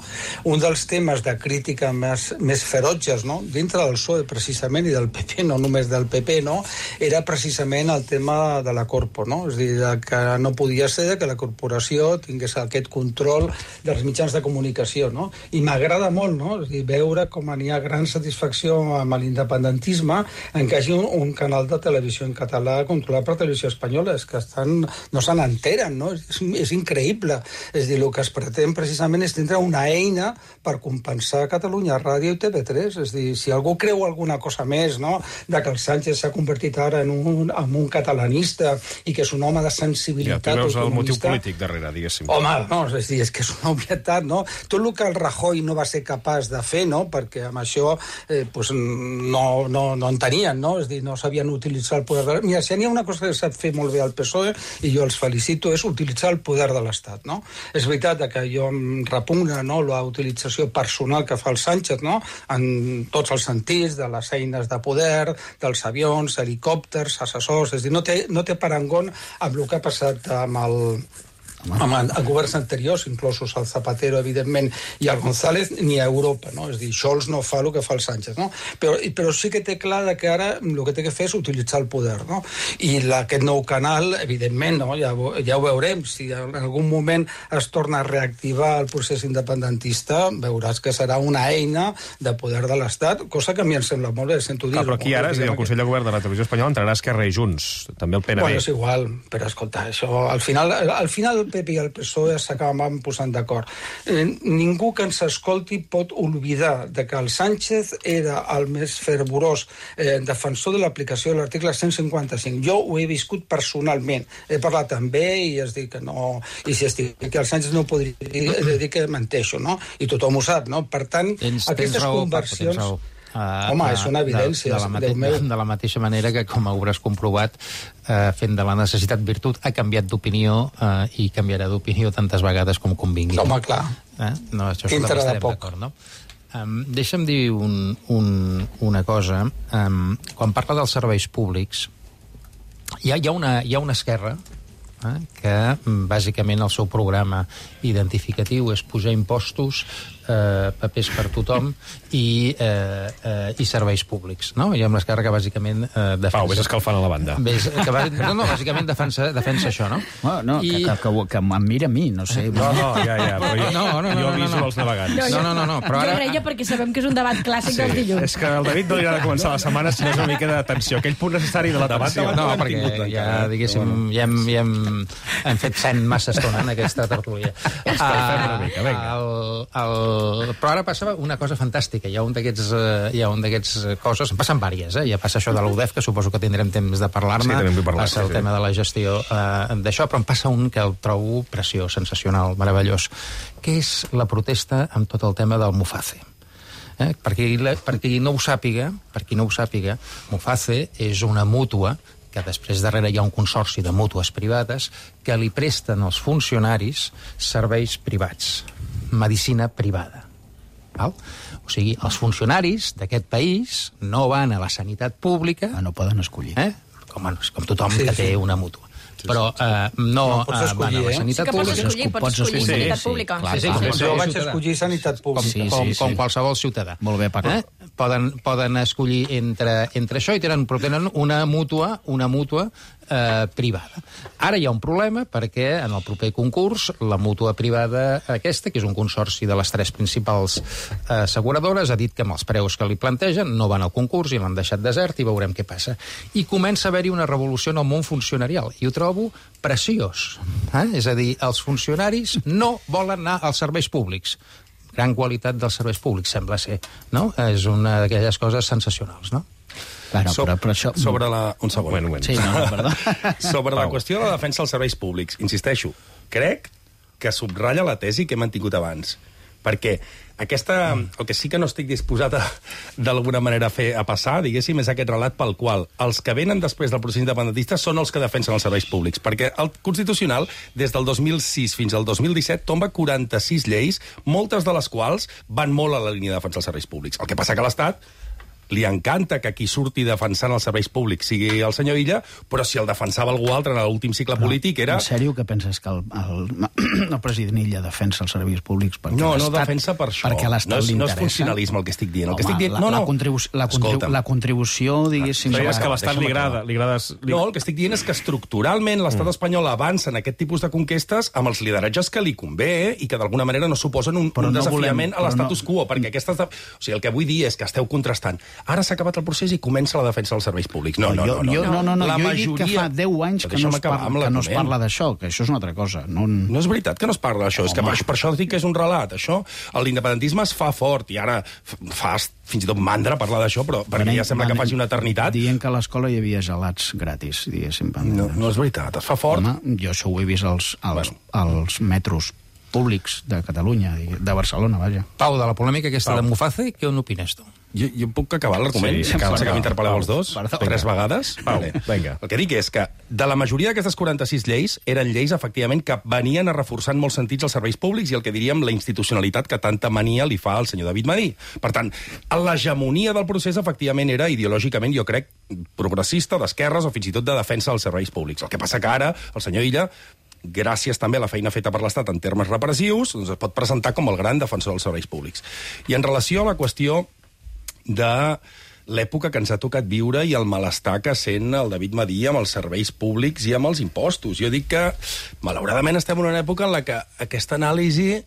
S19: Un dels temes de crítica més, més ferotges, no? Dintre del P S O E, precisament, i del P P, no només del P P, no? Era precisament el tema de la Corpo, no? És a dir, que no podia ser que la corporació tingués aquest control dels mitjans de comunicació, no? I m'agrada molt, no? És a dir, veure com hi ha gran satisfacció amb l'independentisme en que hi hagi un, un canal de televisió en català controlat per Televisió Espanyola. És que estan, no se n'enteren, no? És, és increïble. És a dir, el que es pretén precisament és tindre una eina per compensar Catalunya Ràdio i T V tres. És a dir, si algú creu alguna cosa més, no?, de que el Sánchez s'ha convertit ara en un, en un catalanista i que és un home de sensibilitat
S2: ja, tu veus
S19: autonomista...
S2: el motiu polític darrere, diguéssim.
S19: Home, no, és a dir, és que és una obvietat, no? Tot el que el Rajoy no va ser capaç de fer, no?, perquè amb això eh, pues, no, no, no en tenien, no? És dir, no sabien utilitzar el poder de... Mira, si n'hi ha una cosa que sap fer molt bé el P S O E, i jo els felicito, és utilitzar el poder de l'Estat, no? És veritat que jo em repugna, no?, la utilització personal que fa el Sánchez, no?, en tots els sentits, de les eines de poder, dels avions, helicòpters, assessors, és dir, no té, no té parangon amb el que ha passat amb el... amb el governs anteriors, inclosos el Zapatero, evidentment, i el González, ni a Europa, no? És dir, Scholz no fa el que fa el Sánchez, no? Però, però sí que té clar que ara el que té que fer és utilitzar el poder, no? I la, aquest nou canal, evidentment, no? Ja, ja ho veurem, si en algun moment es torna a reactivar el procés independentista, veuràs que serà una eina de poder de l'Estat, cosa que a mi em sembla molt bé, sento dir-ho.
S2: Però aquí ara, és dir, el Consell de Govern de la Televisió Espanyola entrarà Esquerra i Junts, també el P N B.
S19: Bueno, és igual, però escolta, això, al final, al final el P P i el P S O E s'acaben posant d'acord. Eh, ningú que ens escolti pot oblidar de que el Sánchez era el més fervorós eh, defensor de l'aplicació de l'article cent cinquanta-cinc. Jo ho he viscut personalment. He parlat amb ell i es diu que no... I si es diu que el Sánchez no podria dir que menteixo, no? I tothom ho sap, no? Per tant,
S17: tens,
S19: aquestes
S17: tens raó,
S19: conversions...
S17: Paco, Uh,
S19: Home, és una evidència.
S17: De, de, la mate de la mateixa manera que, com hauràs comprovat, uh, fent de la necessitat virtut, ha canviat d'opinió uh, i canviarà d'opinió tantes vegades com convingui.
S19: Home, clar.
S17: Eh? No, això estarem d'acord, no? Um, deixa'm dir un, un, una cosa. Um, quan parla dels serveis públics, hi ha, hi ha, una, hi ha una esquerra eh, que, bàsicament, el seu programa identificatiu és pujar impostos, eh, papers per tothom i, eh, eh, i serveis públics, no? Hi ha una esquerra que bàsicament eh, defensa...
S2: Pau, vés escalfant a la banda.
S17: Ves, que va, no, no, bàsicament defensa, defensa això, no?
S18: No, no I... que, que, que em mira a mi, no sé.
S2: No, no, ja, ja, però jo,
S17: no, no, no,
S2: jo aviso
S17: no, no.
S2: els navegants.
S16: No,
S17: no, no, no, però ara...
S16: Jo reia perquè sabem que és un debat clàssic
S2: Sí,
S16: dels dilluns.
S2: és que al David no li agrada començar la setmana si no és una mica de tensió. Aquell punt necessari de la tensió.
S17: No, perquè ja, diguéssim, ja hem, ja hem, hem fet cent massa estona en aquesta tertúlia.
S2: Escalfem una mica, vinga.
S17: El, el... Però ara passa una cosa fantàstica. Hi ha un d'aquests uh, hi ha un d'aquests coses, en passen vàries, eh? Ja passa això de l'U D E F, que suposo que tindrem temps de parlar-ne.
S2: Sí, també en vull parlar.
S17: Passa el
S2: sí,
S17: tema
S2: sí.
S17: de la gestió uh, d'això, però em passa un que el trobo preciós, sensacional, meravellós, que és la protesta amb tot el tema del Muface. Eh? Per, qui, per qui no ho sàpiga, per qui no ho sàpiga, Muface és una mútua que després darrere hi ha un consorci de mútues privades que li presten als funcionaris serveis privats, medicina privada. Val? O sigui, els funcionaris d'aquest país no van a la sanitat pública...
S18: Ah, no poden escollir.
S17: Eh? Com, com tothom sí, que té sí. una mútua. Però eh, no, no
S19: pots escollir,
S17: van a la sanitat
S19: eh?
S17: pública.
S16: Sí que pots escollir, pots escollir sí, sanitat
S17: sí,
S16: pública.
S17: Clar,
S19: sí, sí, sí, jo vaig escollir sanitat pública.
S17: Com, com, com qualsevol ciutadà.
S18: Molt bé, Paco.
S17: Eh? Poden, poden escollir entre, entre això i tenen, però tenen una mútua, una mútua eh, privada. Ara hi ha un problema perquè en el proper concurs la mútua privada aquesta, que és un consorci de les tres principals eh, asseguradores, ha dit que amb els preus que li plantegen no van al concurs i l'han deixat desert i veurem què passa. I comença a haver-hi una revolució en el món funcionarial i ho trobo preciós. Eh? És a dir, els funcionaris no volen anar als serveis públics. Gran qualitat dels serveis públics, sembla ser, no? És una d'aquelles coses sensacionals, no?
S18: Claro,
S15: so,
S18: però, però això...
S15: Sobre la... Un segon.
S2: Bueno, bueno.
S18: Sí, no, no, perdó.
S15: Sobre la qüestió de la defensa dels serveis públics, insisteixo, crec que subratlla la tesi que hem mantingut abans. Perquè aquesta, el que sí que no estic disposat a, d'alguna manera a fer a passar, diguéssim, és aquest relat pel qual els que venen després del procés independentista són els que defensen els serveis públics. Perquè el Constitucional, des del dos mil sis fins al dos mil disset, tomba quaranta-sis lleis, moltes de les quals van molt a la línia de defensar els serveis públics. El que passa que a l'Estat li encanta que qui surti defensant els serveis públics sigui el senyor Illa, però si el defensava algú altre en l'últim cicle no, polític era...
S18: En sèrio que penses que el, el, el president Illa defensa els serveis públics? Perquè
S15: no, no defensa per això.
S18: Perquè a l'Estat
S15: no és,
S18: li
S15: no
S18: interessa.
S15: és funcionalisme el que estic dient. El
S18: Home,
S15: que estic dient...
S18: La,
S15: no, no.
S18: la, contribu la, contribu la contribució, diguéssim...
S2: Però és que a l'Estat li agrada... Li agrada li...
S15: No, el que estic dient és que estructuralment l'estat mm. espanyol avança en aquest tipus de conquestes amb els lideratges que li convé eh? I que d'alguna manera no suposen un, un no desafiament volem, a l'estatus no... quo, perquè aquestes... De... O sigui, el que vull dir és que esteu contrastant. Ara s'ha acabat el procés i comença la defensa dels serveis públics. No, no, no. no,
S18: jo, no, no, no.
S15: La
S18: jo he
S15: majoria...
S18: dit que fa deu anys que no es parla, que no es parla d'això, que això és una altra cosa. No,
S15: no és veritat que no es parla d'això, és que per, per això dic que és un relat. Això, l'independentisme es fa fort, i ara fa fins i tot mandra parlar d'això, però perquè ja sembla que faci una eternitat.
S18: Dient que a l'escola hi havia gelats gratis, diguéssim.
S15: No, no és veritat, es fa fort.
S18: Home, jo això ho he vist als, als, bueno. als metros públics de Catalunya, de Barcelona, vaja.
S17: Pau, de la polèmica aquesta Pau. de Muface, què n'opines tu?
S15: Jo, jo puc acabar l'argument? Sí, sí, que m'interpel·leu els dos? Perdó. Tres vegades?
S2: Pau,
S15: vale.
S2: Vinga.
S15: El que dic és que de la majoria d'aquestes quaranta-sis lleis eren lleis, efectivament, que venien a reforçar en molts sentits els serveis públics i el que diríem la institucionalitat que tanta mania li fa al senyor David Madí. Per tant, l'hegemonia del procés, efectivament, era ideològicament, jo crec, progressista, d'esquerres o fins i tot de defensa dels serveis públics. El que passa que ara el senyor Illa, gràcies també a la feina feta per l'Estat en termes repressius, doncs es pot presentar com el gran defensor dels serveis públics. I en relació a la qüestió de l'època que ens ha tocat viure i el malestar que sent el David Madí amb els serveis públics i amb els impostos. Jo dic que, malauradament, estem en una època en la que aquesta anàlisi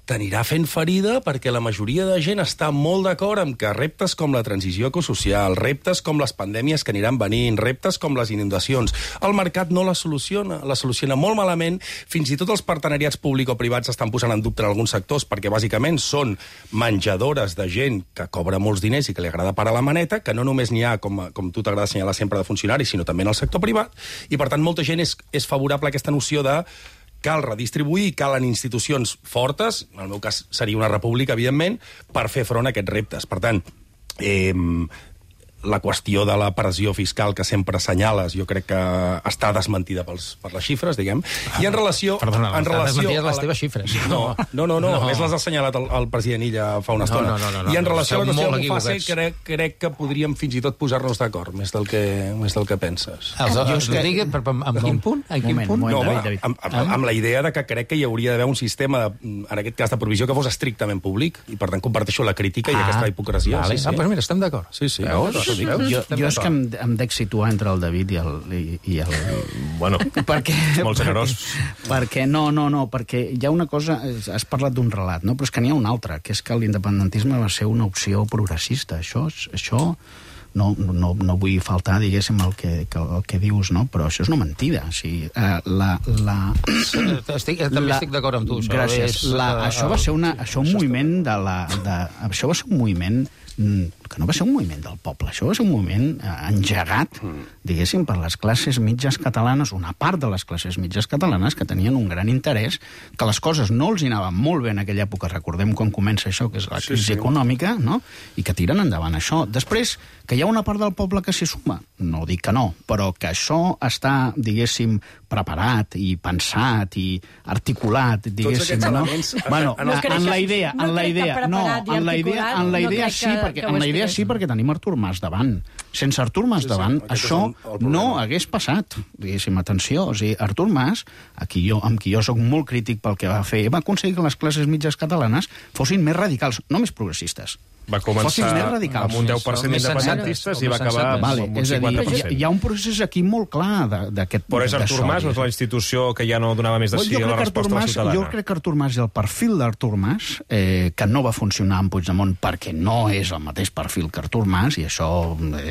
S15: t'anirà fent ferida perquè la majoria de gent està molt d'acord amb que reptes com la transició ecosocial, reptes com les pandèmies que aniran venint, reptes com les inundacions, el mercat no la soluciona, la soluciona molt malament, fins i tot els partenariats públic-privats estan posant en dubte en alguns sectors perquè bàsicament són menjadores de gent que cobra molts diners i que li agrada parar la maneta, que no només n'hi ha, com, com tu t'agrada assenyalar sempre, de funcionaris, sinó també en el sector privat, i per tant molta gent és, és favorable a aquesta noció de cal redistribuir, calen institucions fortes, en el meu cas seria una república, evidentment, per fer front a aquests reptes. Per tant, eh, la qüestió de la pressió fiscal que sempre assenyales, jo crec que està desmentida pels, per les xifres, diguem. I en relació...
S17: Perdona,
S15: en relació
S17: desmentides les
S15: la...
S17: teves xifres.
S15: No, no, no, no, no. A més les ha assenyalat el, el president Illa fa una estona.
S17: No, no, no, no,
S15: I en
S17: no,
S15: relació
S17: no,
S15: a la qüestió del Muface,
S17: equivocats.
S15: crec, crec que podríem fins i tot posar-nos d'acord, més del que, més del que penses.
S17: Els, els, que... digui, per, amb quin punt? En quin
S18: moment,
S17: punt?
S18: moment,
S15: No,
S18: David,
S15: home,
S18: David.
S15: amb, amb, amb la idea de que crec que hi hauria d'haver un sistema, de, en aquest cas de provisió, que fos estrictament públic, i per tant comparteixo la crítica i
S17: Ah,
S15: aquesta hipocresia.
S17: Vale.
S15: Sí, sí.
S17: Ah, doncs mira, estem d'acord.
S15: Sí, sí.
S17: Veus?
S15: Això dic.
S17: Veus?
S18: Jo,
S17: Estem
S18: jo és que
S17: d'acord.
S18: em, em dec situar entre el David i el... I, i el...
S2: Bueno,
S18: perquè,
S2: molt generós.
S18: Perquè, perquè, no, no, no, perquè hi ha una cosa... Has parlat d'un relat, no? Però és que n'hi ha una altra, que és que l'independentisme va ser una opció progressista. Això, això no, no, no vull faltar, diguéssim, el que, que, el que dius, no? Però això és una mentida. O sigui, eh, la... la...
S17: Estic, també
S18: la...
S17: estic d'acord amb tu. Això
S18: Gràcies.
S17: És,
S18: La,
S17: uh,
S18: això va ser una, això un moviment de la... De, això va ser un moviment que no va ser un moviment del poble, això va ser un moviment eh, engegat, diguéssim, per les classes mitges catalanes, una part de les classes mitges catalanes que tenien un gran interès, que les coses no els hi anaven molt bé en aquella època, recordem quan comença això, que és la crisi
S15: Sí, sí.
S18: econòmica, no? I que tiren endavant això. Després, que hi hi ha una part del poble que s'hi suma? No dic que no, però que això està, diguéssim, preparat i pensat i articulat, diguéssim, no? Bueno, en la idea, en la idea, no, en la idea, en la idea sí, perquè en la idea sí perquè tenim Artur Mas davant. Sense Artur Mas davant, això no hagués passat, diguéssim, atenció. O sigui, Artur Mas, aquí jo, amb qui jo soc molt crític pel que va fer, va aconseguir que les classes mitges catalanes fossin més radicals, no més progressistes.
S2: Va començar amb un deu per cent d'independentistes i va acabar
S18: vale,
S2: amb un cinquanta per cent.
S18: Hi ha un procés aquí molt clar d'aquest...
S2: Però és Artur Mas, no és la institució que ja no donava més de sí a la resposta a la ciutadana?
S18: Jo crec que Artur Mas i el perfil d'Artur Mas, eh, que no va funcionar amb Puigdemont perquè no és el mateix perfil que Artur Mas, i això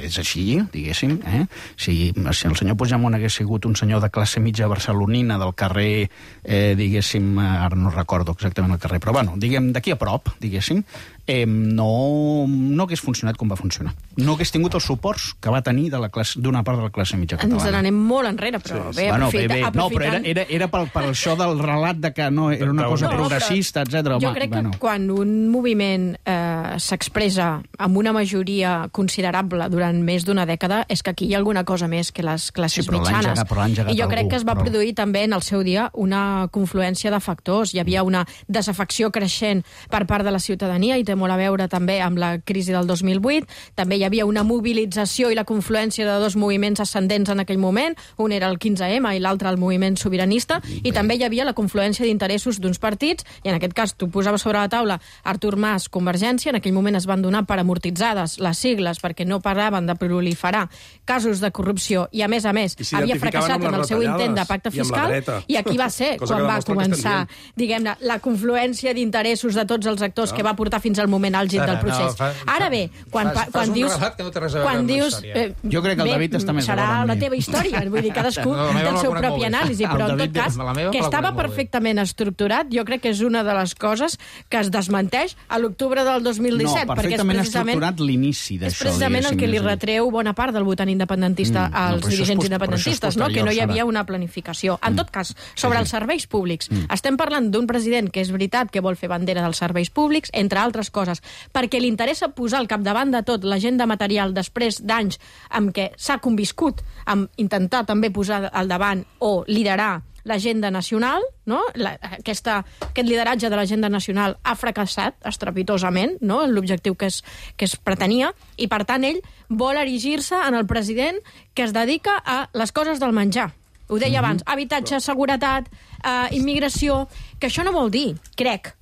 S18: és així, diguéssim. Eh? Si, si el senyor Puigdemont hagués sigut un senyor de classe mitja barcelonina del carrer, eh, diguéssim, ara no recordo exactament el carrer, però bueno, diguem, d'aquí a prop, diguéssim, eh, no, no hagués funcionat com va funcionar. No hagués tingut els suports que va tenir de la classe, d'una part de la classe mitja catalana.
S16: Ens n'anem molt enrere, però sí, bé,
S18: bueno,
S16: aprofita,
S18: bé, bé.
S16: aprofitant...
S18: No, però era, era, era pel, per això del relat de que no era una cosa no, progressista, etcètera.
S16: Jo crec bueno. que quan un moviment eh, s'expressa amb una majoria considerable durant més d'una dècada, és que aquí hi ha alguna cosa més que les classes sí, mitjanes.
S18: Engegat,
S16: I jo crec
S18: algú,
S16: que es va
S18: però...
S16: produir també en el seu dia una confluència de factors. Hi havia una desafecció creixent per part de la ciutadania i té molt a veure també amb la crisi del dos mil vuit. També hi havia una mobilització i la confluència de dos moviments ascendents en aquell moment. Un era el quinze ema i l'altre el moviment sobiranista. I també hi havia la confluència d'interessos d'uns partits, i en aquest cas tu posaves sobre la taula Artur Mas, Convergència. En aquell moment es van donar per amortitzades les sigles perquè no paraven de proliferar casos de corrupció i, a més a més, si havia fracassat en el seu intent de pacte fiscal. I aquí va ser quan va començar, diguem-ne, la confluència d'interessos de tots els actors que va portar fins al moment àlgid del procés. No, fa, Ara bé, quan, fas, quan dius...
S17: Que no té res a veure
S16: quan
S17: amb
S16: dius
S17: eh,
S18: jo crec que el David està més
S16: serà la teva història, vull dir, cadascú no, té el seu propi anàlisi, però en tot cas, que estava perfectament estructurat, jo crec que és una de les coses que es desmenteix a l'octubre del dos mil disset.
S18: No, perfectament estructurat l'inici d'això.
S16: És precisament el que li retreu bona part del votant independentista mm, als no, dirigents post, independentistes, no? Que no hi havia una planificació. En mm. tot cas, sobre sí, sí. els serveis públics, mm. estem parlant d'un president que és veritat que vol fer bandera dels serveis públics, entre altres coses, perquè li interessa posar al capdavant de tot l'agenda material després d'anys amb què s'ha conviscut amb intentar també posar al davant o liderar l'agenda nacional, no? La, aquesta, aquest lideratge de l'agenda nacional ha fracassat estrepitosament, no? L'objectiu que es, que es pretenia, i per tant ell vol erigir-se en el president que es dedica a les coses del menjar. Ho deia mm-hmm. abans, habitatge, seguretat, eh, immigració, que això no vol dir, crec,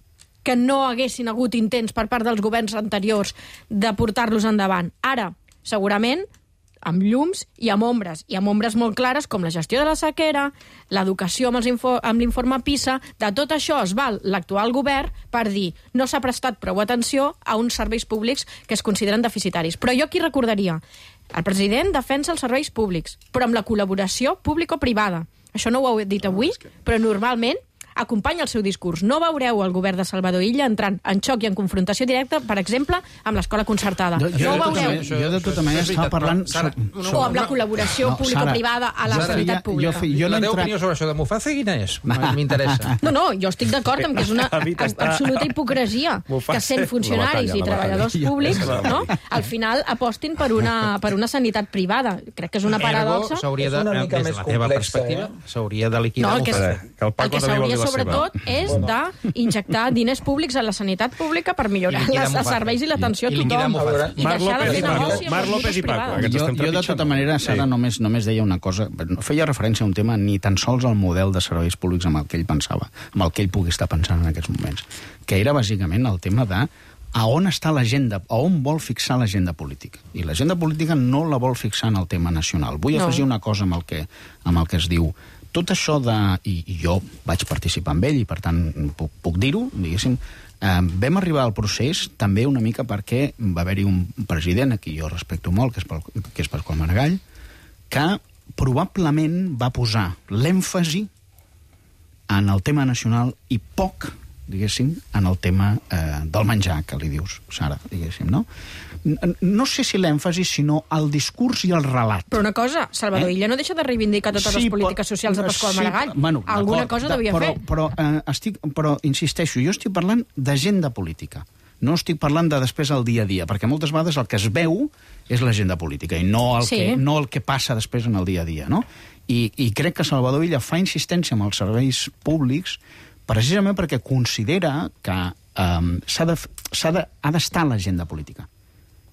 S16: que no haguessin hagut intents per part dels governs anteriors de portar-los endavant. Ara, segurament, amb llums i amb ombres, i amb ombres molt clares com la gestió de la sequera, l'educació amb, els info, amb l'informe PISA, de tot això es val l'actual govern per dir no s'ha prestat prou atenció a uns serveis públics que es consideren deficitaris. Però jo aquí recordaria, el president defensa els serveis públics, però amb la col·laboració público-privada. Això no ho heu dit avui, però normalment acompanya el seu discurs. No veureu el govern de Salvador Illa entrant en xoc i en confrontació directa, per exemple, amb l'escola concertada.
S18: Jo, jo,
S16: no ho
S18: veureu.
S16: Manera,
S18: jo de tota manera estava parlant...
S17: Sara,
S18: so,
S16: o amb la col·laboració no, público-privada a la sanitat pública.
S17: Jo, jo no la teva opinió sobre això de Muface, quina és? M'interessa.
S16: No, no, jo estic d'acord amb que és una absoluta hipocresia que sent funcionaris i treballadors públics, no? Al final apostin per una, per una sanitat privada. Crec que és una paradoxa.
S17: S'hauria de, des de la teva perspectiva, s'hauria de liquidar.
S16: No, el que s'hauria sobretot és d'injectar diners públics a la sanitat pública per millorar els serveis i l'atenció a tothom. I deixar de fer negoci amb els llibres privats.
S18: Jo, jo de tota manera, Sara, sí. només, només deia una cosa. No feia referència a un tema ni tan sols al model de serveis públics amb el que ell pensava, amb el que ell pugui estar pensant en aquests moments, que era bàsicament el tema de a on està l'agenda, a on vol fixar l'agenda política. I l'agenda política no la vol fixar en el tema nacional. Vull no. afegir una cosa amb el que, amb el que es diu tot això de... I, i jo vaig participar amb ell i, per tant, puc, puc dir-ho, diguéssim, eh, vam arribar al procés també una mica perquè va haver-hi un president, a qui jo respecto molt, que és, que és Pasqual Maragall, que probablement va posar l'èmfasi en el tema nacional i poc, diguéssim, en el tema eh, del menjar, que li dius, Sara, diguéssim, no? No sé si l'èmfasi, sinó el discurs i el relat.
S16: Però una cosa, Salvador eh? Illa no deixa de reivindicar totes sí, les polítiques socials de Pasqual sí, Maragall. Bueno, Alguna cosa devia
S18: però,
S16: fer.
S18: Però, eh, estic, però, insisteixo, jo estic parlant d'agenda política. No estic parlant de després el dia a dia, perquè moltes vegades el que es veu és l'agenda política i no el,
S16: Sí.
S18: que, no el que passa després en el dia a dia, no? I, i crec que Salvador Illa fa insistència amb els serveis públics precisament perquè considera que um, s'ha de, s'ha de, ha d'estar a l'agenda política.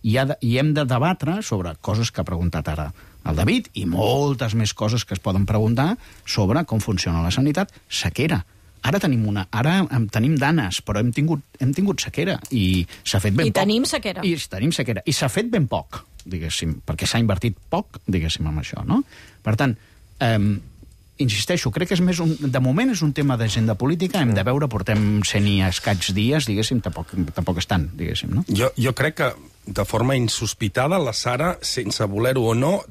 S18: I, ha de, I hem de debatre sobre coses que ha preguntat ara el David i moltes més coses que es poden preguntar sobre com funciona la sanitat. Sequera. Ara tenim una, ara tenim danes, però hem tingut, hem tingut sequera i s'ha fet ben
S16: I
S18: poc.
S16: tenim sequera.
S18: I tenim sequera. I s'ha fet ben poc, diguéssim, perquè s'ha invertit poc, diguéssim, amb això, no? Per tant, eh, insisteixo, crec que és més un, de moment és un tema d'agenda política, hem de veure, portem cent i escaig dies, diguéssim, tampoc, tampoc és tant, diguéssim, no?
S15: Jo, jo crec que, de forma insospitada, la Sara, sense voler-ho o no,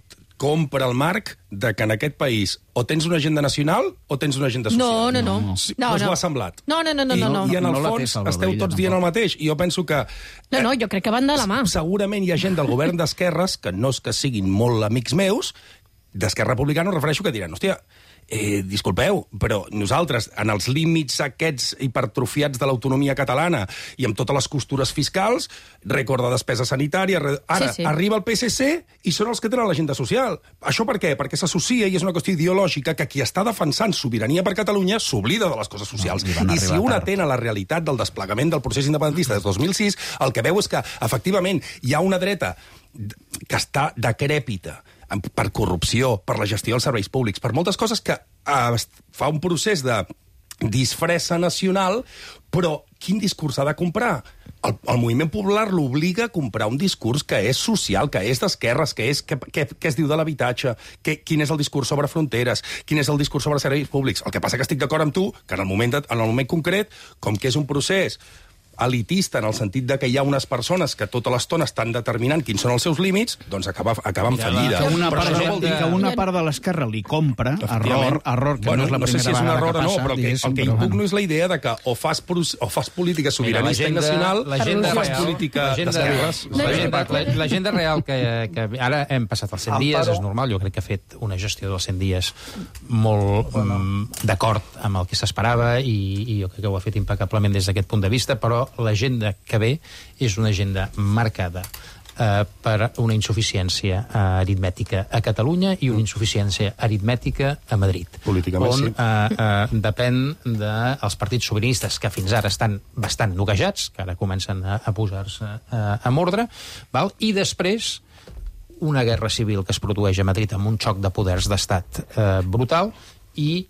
S15: compra el marc de que en aquest país o tens una agenda nacional o tens una agenda social.
S16: No, no, no.
S15: Sí,
S16: No,
S15: doncs
S16: no.
S15: m'ho ha semblat.
S16: No, no, no, no.
S15: I,
S16: no, no.
S15: I en el
S18: No la té
S15: fons
S18: Salvador
S15: esteu
S18: Illa,
S15: tots dient el mateix. I jo penso que
S16: No, no, jo crec que van de la mà.
S15: segurament hi ha gent del govern d'esquerres, que no és que siguin molt amics meus, d'Esquerra Republicana, em refereixo, que diran, hòstia, eh, disculpeu, però nosaltres, en els límits aquests hipertrofiats de l'autonomia catalana i amb totes les costures fiscals, rècord de despesa sanitària, ara
S16: Sí, sí.
S15: arriba el P S C i són els que tenen l'agenda social. Això per què? Perquè s'associa i és una qüestió ideològica que qui està defensant sobirania per Catalunya s'oblida de les coses socials.
S18: No, i van
S15: I si
S18: arribar
S15: un
S18: tard.
S15: atén a la realitat del desplegament del procés independentista des del dos mil sis, el que veu és que, efectivament, hi ha una dreta que està decrèpita per corrupció, per la gestió dels serveis públics, per moltes coses que eh, fa un procés de disfressa nacional, però quin discurs ha de comprar? El, el moviment popular l'obliga a comprar un discurs que és social, que és d'esquerres, que és que, que, que es diu de l'habitatge, que, quin és el discurs sobre fronteres, quin és el discurs sobre serveis públics. El que passa que estic d'acord amb tu que en el moment, de, en el moment concret, com que és un procés elitista en el sentit de que hi ha unes persones que tota l'estona estan determinant quins són els seus límits, doncs acaba, acaba en fallida.
S18: Que una,
S15: Però
S18: part,
S15: això
S18: de,
S15: no vol dir
S18: que una part de l'esquerra li compra, error, error, que
S15: bueno,
S18: no és la
S15: no sé
S18: primera
S15: si és un
S18: vegada
S15: error
S18: que
S15: o no,
S18: passa,
S15: però que, el que
S18: però
S15: impugno
S18: bueno.
S15: és la idea de que o fas, o fas política sobiranista i nacional o fas política d'esquerres.
S17: L'agenda l'agenda real que, que ara hem passat els cent dies,
S19: Amparo.
S17: és normal, jo crec que ha fet una gestió dels cent dies molt um, d'acord amb el que s'esperava i, i jo crec que ho ha fet impecablement des d'aquest punt de vista, però l'agenda que ve és una agenda marcada eh, per una insuficiència eh, aritmètica a Catalunya i una insuficiència aritmètica a Madrid.
S15: Políticament,
S17: on
S15: sí.
S17: eh, eh, depèn dels partits sobiranistes que fins ara estan bastant noquejats, que ara comencen a, a posar-se eh, amb ordre, val? I després una guerra civil que es produeix a Madrid amb un xoc de poders d'estat eh, brutal i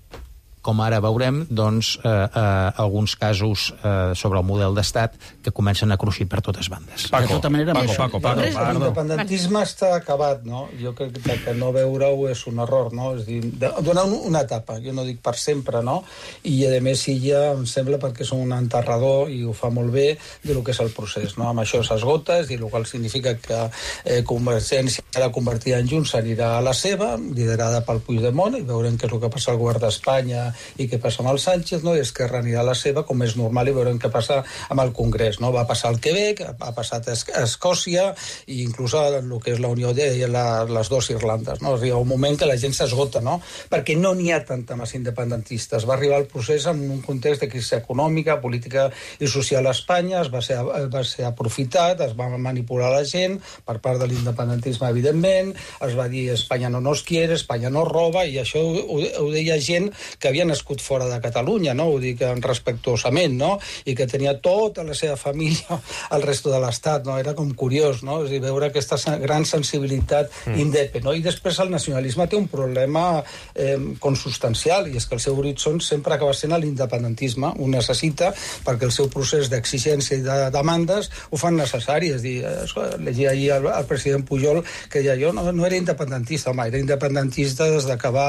S17: com ara veurem, doncs, eh, eh, alguns casos eh, sobre el model d'estat que comencen a cruixir per totes bandes.
S18: De tota manera,
S15: Paco,
S18: això-
S15: Paco, Paco.
S19: L'independentisme està acabat, no? Jo crec que, que no veure-ho és un error, no? És dir, de, donar un, una etapa, jo no dic per sempre, no? I, a més, Illa, em sembla, perquè és un enterrador i ho fa molt bé de lo que és el procés, no? Amb això s'esgota, és dir, el qual significa que eh, Convergència, ara convertida en Junts, anirà a la seva, liderada pel Puigdemont, i veurem què és el que passa al govern d'Espanya i què passa amb el Sánchez, no? I Esquerra anirà a la seva, com és normal, i veurem què passa amb el Congrés, no? Va passar al Quebec, ha passat a Escòcia, i inclús el que és la Unió de la, les dues Irlandes, no? Arriba un moment que la gent s'esgota, no? Perquè no n'hi ha tanta massa independentistes. Va arribar el procés en un context de crisi econòmica, política i social a Espanya, es va ser, va ser aprofitat, es va manipular la gent per part de l'independentisme, evidentment, es va dir Espanya no nos quiere, Espanya no roba, i això ho, ho deia gent que havia nascut fora de Catalunya, no? Ho dic respectuosament, no? I que tenia tota la seva família al resto de l'Estat, no? Era com curiós, no? És a dir, veure aquesta gran sensibilitat mm. indepe, no? I després el nacionalisme té un problema eh, consubstancial, i és que el seu horitzó sempre acaba sent l'independentisme. Ho necessita perquè el seu procés d'exigència i de demandes ho fan necessari. És a dir, eh, llegia ahir el, el president Pujol que deia, jo no, no era independentista, home, era independentista des que va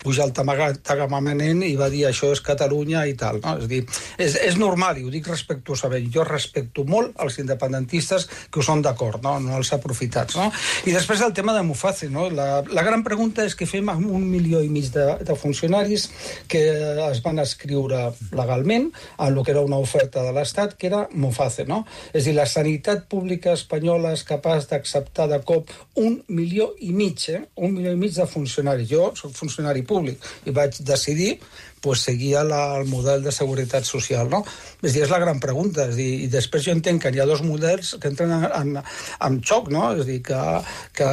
S19: pujar el Tagamanent i va dir això és Catalunya i tal, no? És a dir, és, és normal, i ho dic respectuosament. Jo respecto molt els independentistes que ho són d'acord, no? No els aprofitats, no? I després el tema de Muface, no? La, la gran pregunta és què fem amb un milió i mig de, de funcionaris que es van escriure legalment en el que era una oferta de l'Estat, que era Muface, no? És a dir, la sanitat pública espanyola és capaç d'acceptar de cop un milió i mig, eh? Un milió i mig de funcionaris. Jo soc funcionari públic i vaig decidir pues, seguia la, el model de seguretat social, no? És dir, és la gran pregunta. És dir, i després jo entenc que hi ha dos models que entren en, en, en xoc, no? És dir, que, que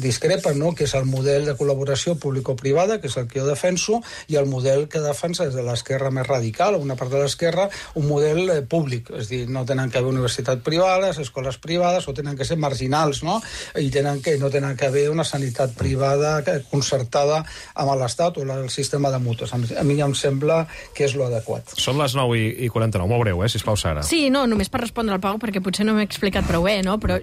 S19: discrepen, no? Que és el model de col·laboració público-privada, que és el que jo defenso, i el model que defensa des de l'esquerra més radical, una part de l'esquerra, un model eh, públic. És dir, no tenen que haver universitats privades, escoles privades, o tenen que ser marginals, no? I tenen que, no tenen que haver una sanitat privada concertada amb l'Estat o el sistema de mútues. A mi em sembla que és l'adequat.
S2: Són les nou i quaranta-nou, molt breu, eh, sisplau, Sara.
S16: Sí, no, només per respondre al Pau, perquè potser no m'he explicat prou bé, no? Però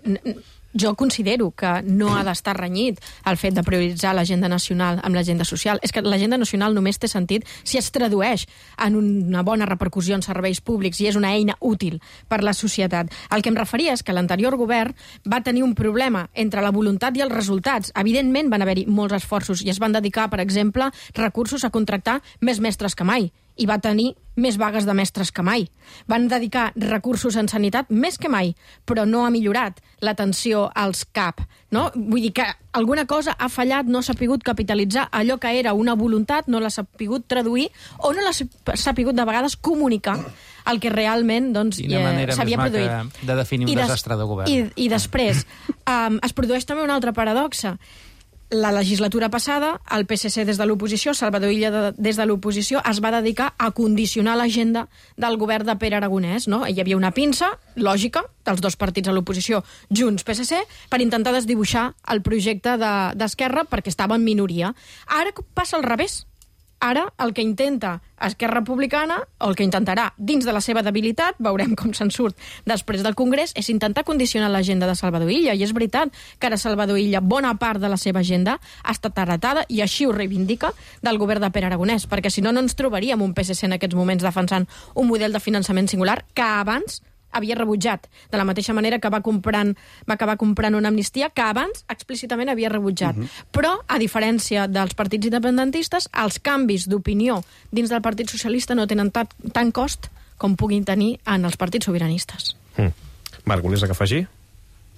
S16: jo considero que no ha d'estar renyit el fet de prioritzar l'agenda nacional amb l'agenda social. És que l'agenda nacional només té sentit si es tradueix en una bona repercussió en serveis públics i és una eina útil per la societat. El que em referia és que l'anterior govern va tenir un problema entre la voluntat i els resultats. Evidentment van haver-hi molts esforços i es van dedicar, per exemple, recursos a contractar més mestres que mai, i va tenir més vagues de mestres que mai. Van dedicar recursos en sanitat més que mai, però no ha millorat l'atenció als C A P. No? Vull dir que alguna cosa ha fallat, no s'ha pogut capitalitzar allò que era una voluntat, no l'ha sapigut traduir o no l'ha sapigut de vegades comunicar el que realment doncs,
S17: Quina manera
S16: s'havia
S17: més
S16: produït.
S17: maca de definir un
S16: I des,
S17: desastre de govern.
S16: I, i després um, es produeix també una altra paradoxa. La legislatura passada, el P S C des de l'oposició, Salvador Illa de, des de l'oposició, es va dedicar a condicionar l'agenda del govern de Pere Aragonès. No? Hi havia una pinça lògica dels dos partits a l'oposició, Junts, P S C, per intentar desdibuixar el projecte d'Esquerra de, perquè estava en minoria. Ara passa al revés. Ara el que intenta Esquerra Republicana, o el que intentarà dins de la seva debilitat, veurem com se'n surt després del Congrés, és intentar condicionar l'agenda de Salvador Illa. I és veritat que ara Salvador Illa, bona part de la seva agenda, ha estat heretada, i així ho reivindica, del govern de Pere Aragonès, perquè si no, no ens trobaríem un P S C en aquests moments defensant un model de finançament singular que abans havia rebutjat, de la mateixa manera que va, comprant, va acabar comprant una amnistia que abans explícitament havia rebutjat. Uh-huh. Però, a diferència dels partits independentistes, els canvis d'opinió dins del Partit Socialista no tenen tant, tant cost com puguin tenir en els partits sobiranistes.
S2: Mm. Marc, volies que afegir?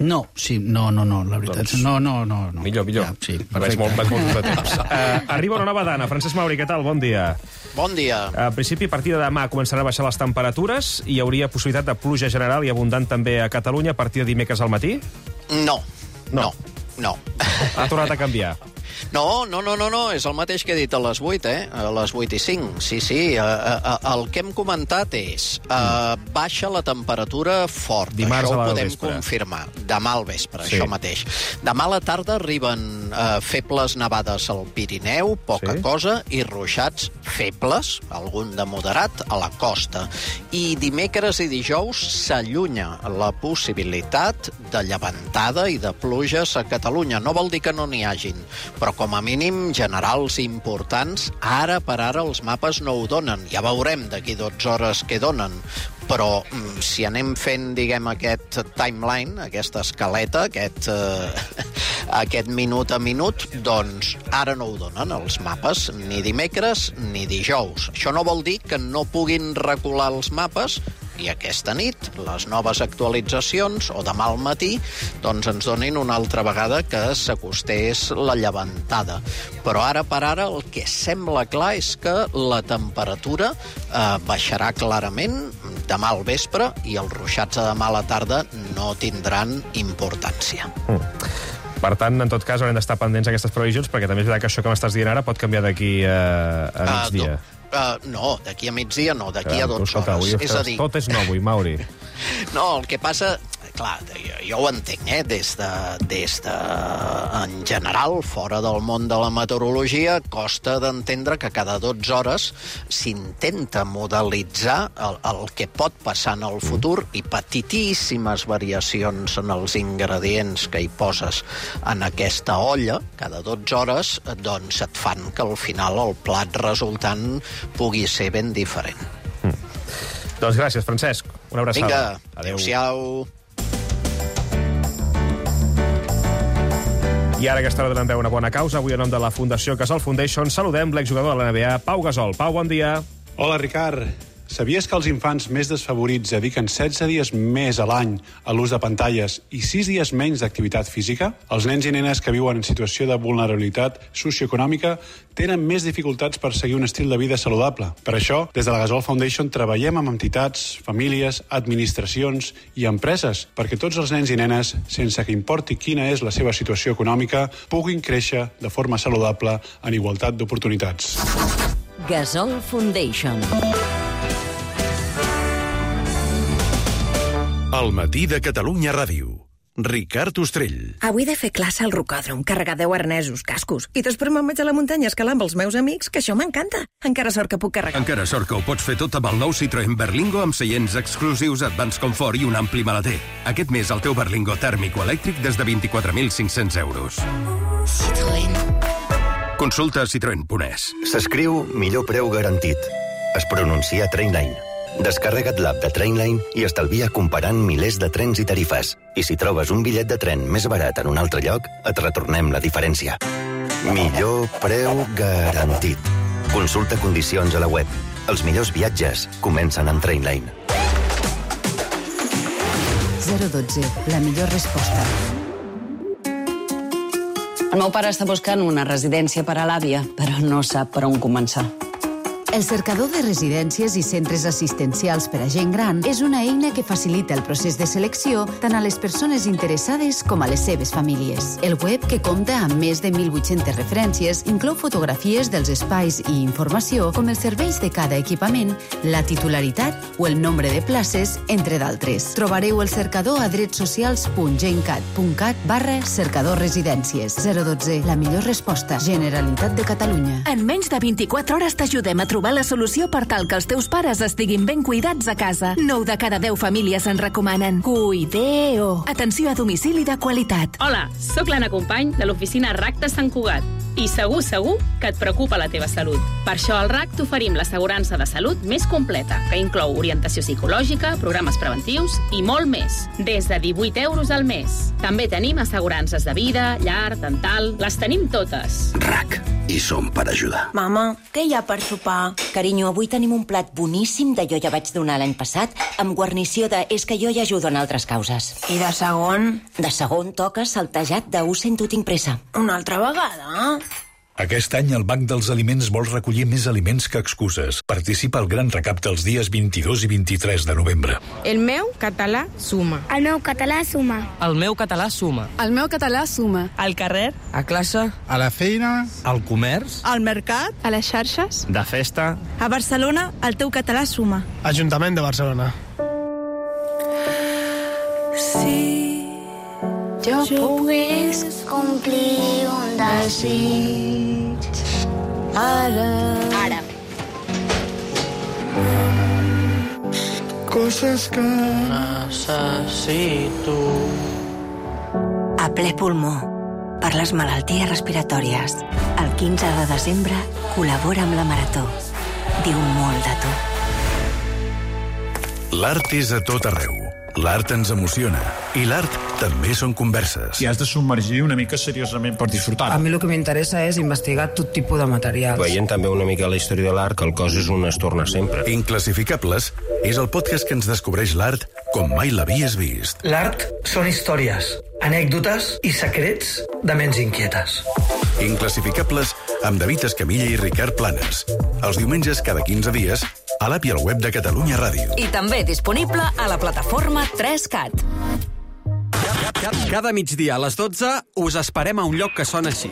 S18: No, sí, no, no, no, la veritat.
S2: Doncs...
S18: No, no, no, no.
S2: Millor, millor.
S18: Ja, sí,
S2: vaig molt, vaig molt de temps. uh, arriba una nova dana. Francesc Mauri, què tal? Bon dia.
S20: Bon dia.
S2: En principi, a partir de demà començaran a baixar les temperatures i hi hauria possibilitat de pluja general i abundant també a Catalunya a partir de dimecres al matí?
S20: No, no, no.
S2: Ha tornat a canviar.
S20: No, no, no, no, no, és el mateix que he dit a les vuit, eh? A les vuit i cinc. Sí, sí, uh, uh, el que hem comentat és uh, baixa la temperatura fort.
S2: Dimarts
S20: això ho
S2: al
S20: podem
S2: vespre.
S20: confirmar. Demà al vespre,
S2: Sí.
S20: això mateix. Demà a la tarda arriben uh, febles nevades al Pirineu, poca
S2: Sí.
S20: cosa, i ruixats febles, algun de moderat, a la costa. I dimecres i dijous s'allunya la possibilitat de llevantada i de pluges a Catalunya. No vol dir que no n'hi hagin, però com a mínim generals importants, ara per ara els mapes no ho donen. Ja veurem d'aquí dotze hores què donen. Però mm, si anem fent, diguem, aquest timeline, aquesta escaleta, aquest, eh, aquest minut a minut, doncs ara no ho donen els mapes, ni dimecres ni dijous. Això no vol dir que no puguin recular els mapes i aquesta nit les noves actualitzacions, o demà al matí, doncs ens donin una altra vegada que s'acostés la llevantada. Però ara per ara el que sembla clar és que la temperatura eh, baixarà clarament demà al vespre i els ruixats de demà a la tarda no tindran importància.
S2: Mm. Per tant, en tot cas, haurem d'estar pendents d'aquestes previsions, perquè també és veritat que això que m'estàs dient ara pot canviar d'aquí a, a migdia.
S20: Uh, Uh, no, d'aquí a migdia no, d'aquí a dotze
S2: Escolta,
S20: hores.
S2: avui
S20: És a dir,
S2: tot és nou avui, Mauri.
S20: no, el que passa... Clar, jo, jo ho entenc, eh? Des de, des de... En general, fora del món de la meteorologia, costa d'entendre que cada dotze hores s'intenta modelitzar el, el que pot passar en el futur i petitíssimes variacions en els ingredients que hi poses en aquesta olla, cada dotze hores, doncs et fan que al final el plat resultant pugui ser ben diferent.
S2: Mm. Doncs gràcies, Francesc. Una abraçada.
S20: Vinga, adéu-siau.
S2: I ara aquesta hora donem veu una bona causa. Avui, en nom de la Fundació Gasol Foundation, saludem l'exjugador de la N B A, Pau Gasol. Pau, bon dia.
S21: Hola, Ricard. Sabies que els infants més desfavorits dediquen setze dies més a l'any a l'ús de pantalles i sis dies menys d'activitat física? Els nens i nenes que viuen en situació de vulnerabilitat socioeconòmica tenen més dificultats per seguir un estil de vida saludable. Per això, des de la Gasol Foundation treballem amb entitats, famílies, administracions i empreses perquè tots els nens i nenes, sense que importi quina és la seva situació econòmica, puguin créixer de forma saludable en igualtat d'oportunitats.
S22: Gasol Foundation.
S23: El matí de Catalunya Ràdio. Ricard Ostrell.
S5: Avui he de fer classe al rocòdrom, carregar deu arnesos, cascos, i després me'n vaig a la muntanya a escalar amb els meus amics, que això m'encanta. Encara sort que puc carregar.
S6: Encara sort que ho pots fer tot amb el nou Citroën Berlingo amb seients exclusius, Advance Comfort i un ampli maleter. Aquest mes el teu Berlingo tèrmic o elèctric des de vint-i-quatre mil cinc-cents euros.
S24: Citroën.
S6: Consulta citroen punt es.
S24: S'escriu millor preu garantit. Es pronuncia Trainline. Descarrega't l'app de Trainline i estalvia comparant milers de trens i tarifes. I si trobes un bitllet de tren més barat en un altre lloc, et retornem la diferència. Millor preu garantit. Consulta condicions a la web. Els millors viatges comencen amb Trainline.
S25: zero dotze, la millor resposta. El meu pare està buscant una residència per a l'àvia, però no sap per on començar.
S26: El cercador de residències i centres assistencials per a gent gran és una eina que facilita el procés de selecció tant a les persones interessades com a les seves famílies. El web, que compta amb més de mil vuit-centes referències, inclou fotografies dels espais i informació com els serveis de cada equipament, la titularitat o el nombre de places, entre d'altres. Trobareu el cercador a dretsocials punt gencat punt cat barra cercador residències. zero dotze, la millor resposta. Generalitat de Catalunya.
S27: En menys de vint-i-quatre hores t'ajudem a trobar la solució per tal que els teus pares estiguin ben cuidats a casa. nou de cada deu famílies en recomanen. Cuideo. Atenció a domicili de qualitat.
S28: Hola, sóc l'Anna Company de l'oficina R A C de Sant Cugat. I segur, segur que et preocupa la teva salut. Per això al R A C t'oferim l'assegurança de salut més completa, que inclou orientació psicològica, programes preventius i molt més. Des de divuit euros al mes. També tenim assegurances de vida, llar, dental... Les tenim totes.
S29: R A C. I som per ajudar.
S30: Mama, què hi ha per sopar? Carinyo, avui tenim un plat boníssim de jo ja vaig donar l'any passat amb guarnició de és que jo ja ajudo en altres causes. I de segon? De segon toca saltejat de ho sento tinc pressa. Una altra vegada?
S9: Aquest any el Banc dels Aliments vol recollir més aliments que excuses. Participa al gran recapte els dies vint-i-dos i vint-i-tres de novembre.
S31: El meu català suma.
S32: El meu català suma.
S31: El meu català suma.
S32: El meu català suma.
S31: Al carrer, a classe,
S33: a la feina,
S31: al comerç,
S32: al mercat,
S31: a les xarxes,
S33: de festa.
S32: A Barcelona, el teu català suma.
S33: Ajuntament de Barcelona.
S32: Sí. Jo, jo pogués complir un desig. Ara.
S30: Ara.
S33: Coses que
S30: necessito. A ple pulmó, per les malalties respiratòries. El quinze de desembre col·labora amb la Marató. Diu molt de tu.
S23: L'art és a tot arreu. L'art ens emociona. I l'art també són converses.
S34: I has de submergir una mica seriosament per disfrutar.
S35: A mi el que m'interessa és investigar tot tipus de materials.
S36: Veient també una mica la història de l'art, que el cos és un es torna sempre.
S23: Inclassificables és el podcast que ens descobreix l'art com mai l'havies vist.
S37: L'art són històries, anècdotes i secrets de ments inquietes.
S23: Inclassificables amb David Escamilla i Ricard Planes. Els diumenges cada quinze dies a l'app i al web de Catalunya Ràdio.
S27: I també disponible a la plataforma tres cat.
S38: Cada migdia a les dotze us esperem a un lloc que sona així.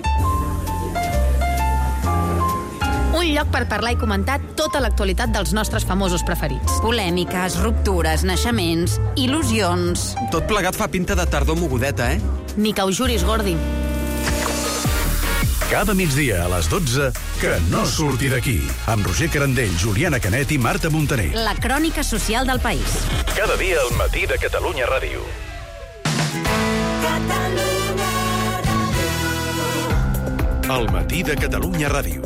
S39: Un lloc per parlar i comentar tota l'actualitat dels nostres famosos preferits. Polèmiques, ruptures, naixements, il·lusions...
S38: Tot plegat fa pinta de tardor mogudeta, eh?
S39: Ni que ho juris, Gordi.
S23: Cada migdia a les dotze, que no surti d'aquí. Amb Roger Carandell, Juliana Canet i Marta Montaner.
S39: La crònica social del país.
S23: Cada dia al matí de Catalunya Ràdio. El matí de Catalunya Ràdio.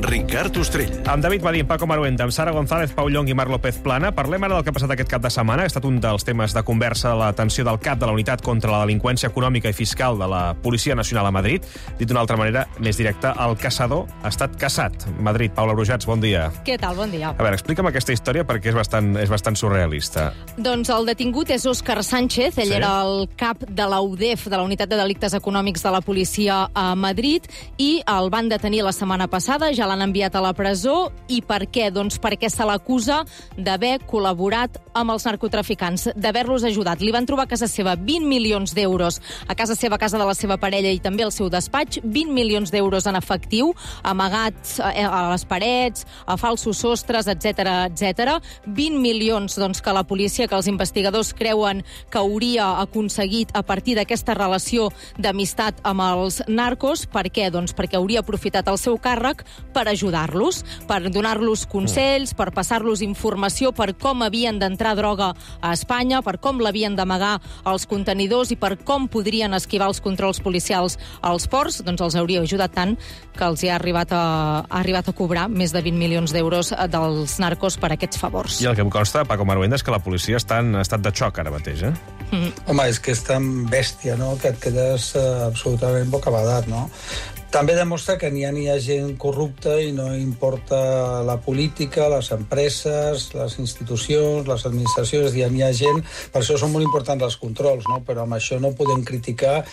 S23: Ricard Ostrell.
S1: Amb David Badín, Paco Maruenda, amb Sara González, Pau Llong i Marc López Plana. Parlem ara del que ha passat aquest cap de setmana. Ha estat un dels temes de conversa de l'atenció del cap de la Unitat contra la Delinqüència Econòmica i Fiscal de la Policia Nacional a Madrid. Dit d'una altra manera, més directa, el caçador ha estat caçat. Madrid, Paula Brujats, bon dia.
S2: Què tal? Bon dia.
S1: A veure, explica'm aquesta història perquè és bastant, és bastant surrealista.
S2: Doncs el detingut és Òscar Sánchez. Ell sí? era el cap de la U D E F, de la Unitat de Delictes Econòmics de la Policia a Madrid, i el van detenir la setmana passada, ja l'han enviat a la presó. I per què? Doncs perquè se l'acusa d'haver col·laborat amb els narcotraficants, d'haver-los ajudat. Li van trobar a casa seva vint milions d'euros, a casa seva, a casa de la seva parella i també al seu despatx, vint milions d'euros en efectiu, amagats a les parets, a falsos sostres, etcètera, etcètera. vint milions doncs, que la policia, que els investigadors creuen que hauria aconseguit a partir d'aquesta relació d'amistat amb els narcos. Per què? Doncs perquè hauria aprofitat el seu càrrec per ajudar-los, per donar-los consells, per passar-los informació per com havien d'entrar droga a Espanya, per com l'havien d'amagar als contenidors i per com podrien esquivar els controls policials als ports. Doncs els hauria ajudat tant que els hi ha arribat a, ha arribat a cobrar més de vint milions d'euros dels narcos per aquests favors.
S1: I el que em consta, Paco Maruenda, és que la policia està en estat de xoc ara mateix, eh?
S3: Mm. Home, és que és tan bèstia, no?, que et quedes uh, absolutament bocabadat, no? També demostra que n'hi ha, n'hi ha gent corrupta i no importa la política, les empreses, les institucions, les administracions, n'hi ha, n'hi ha gent... Per això són molt importants els controls, no? Però amb això no podem criticar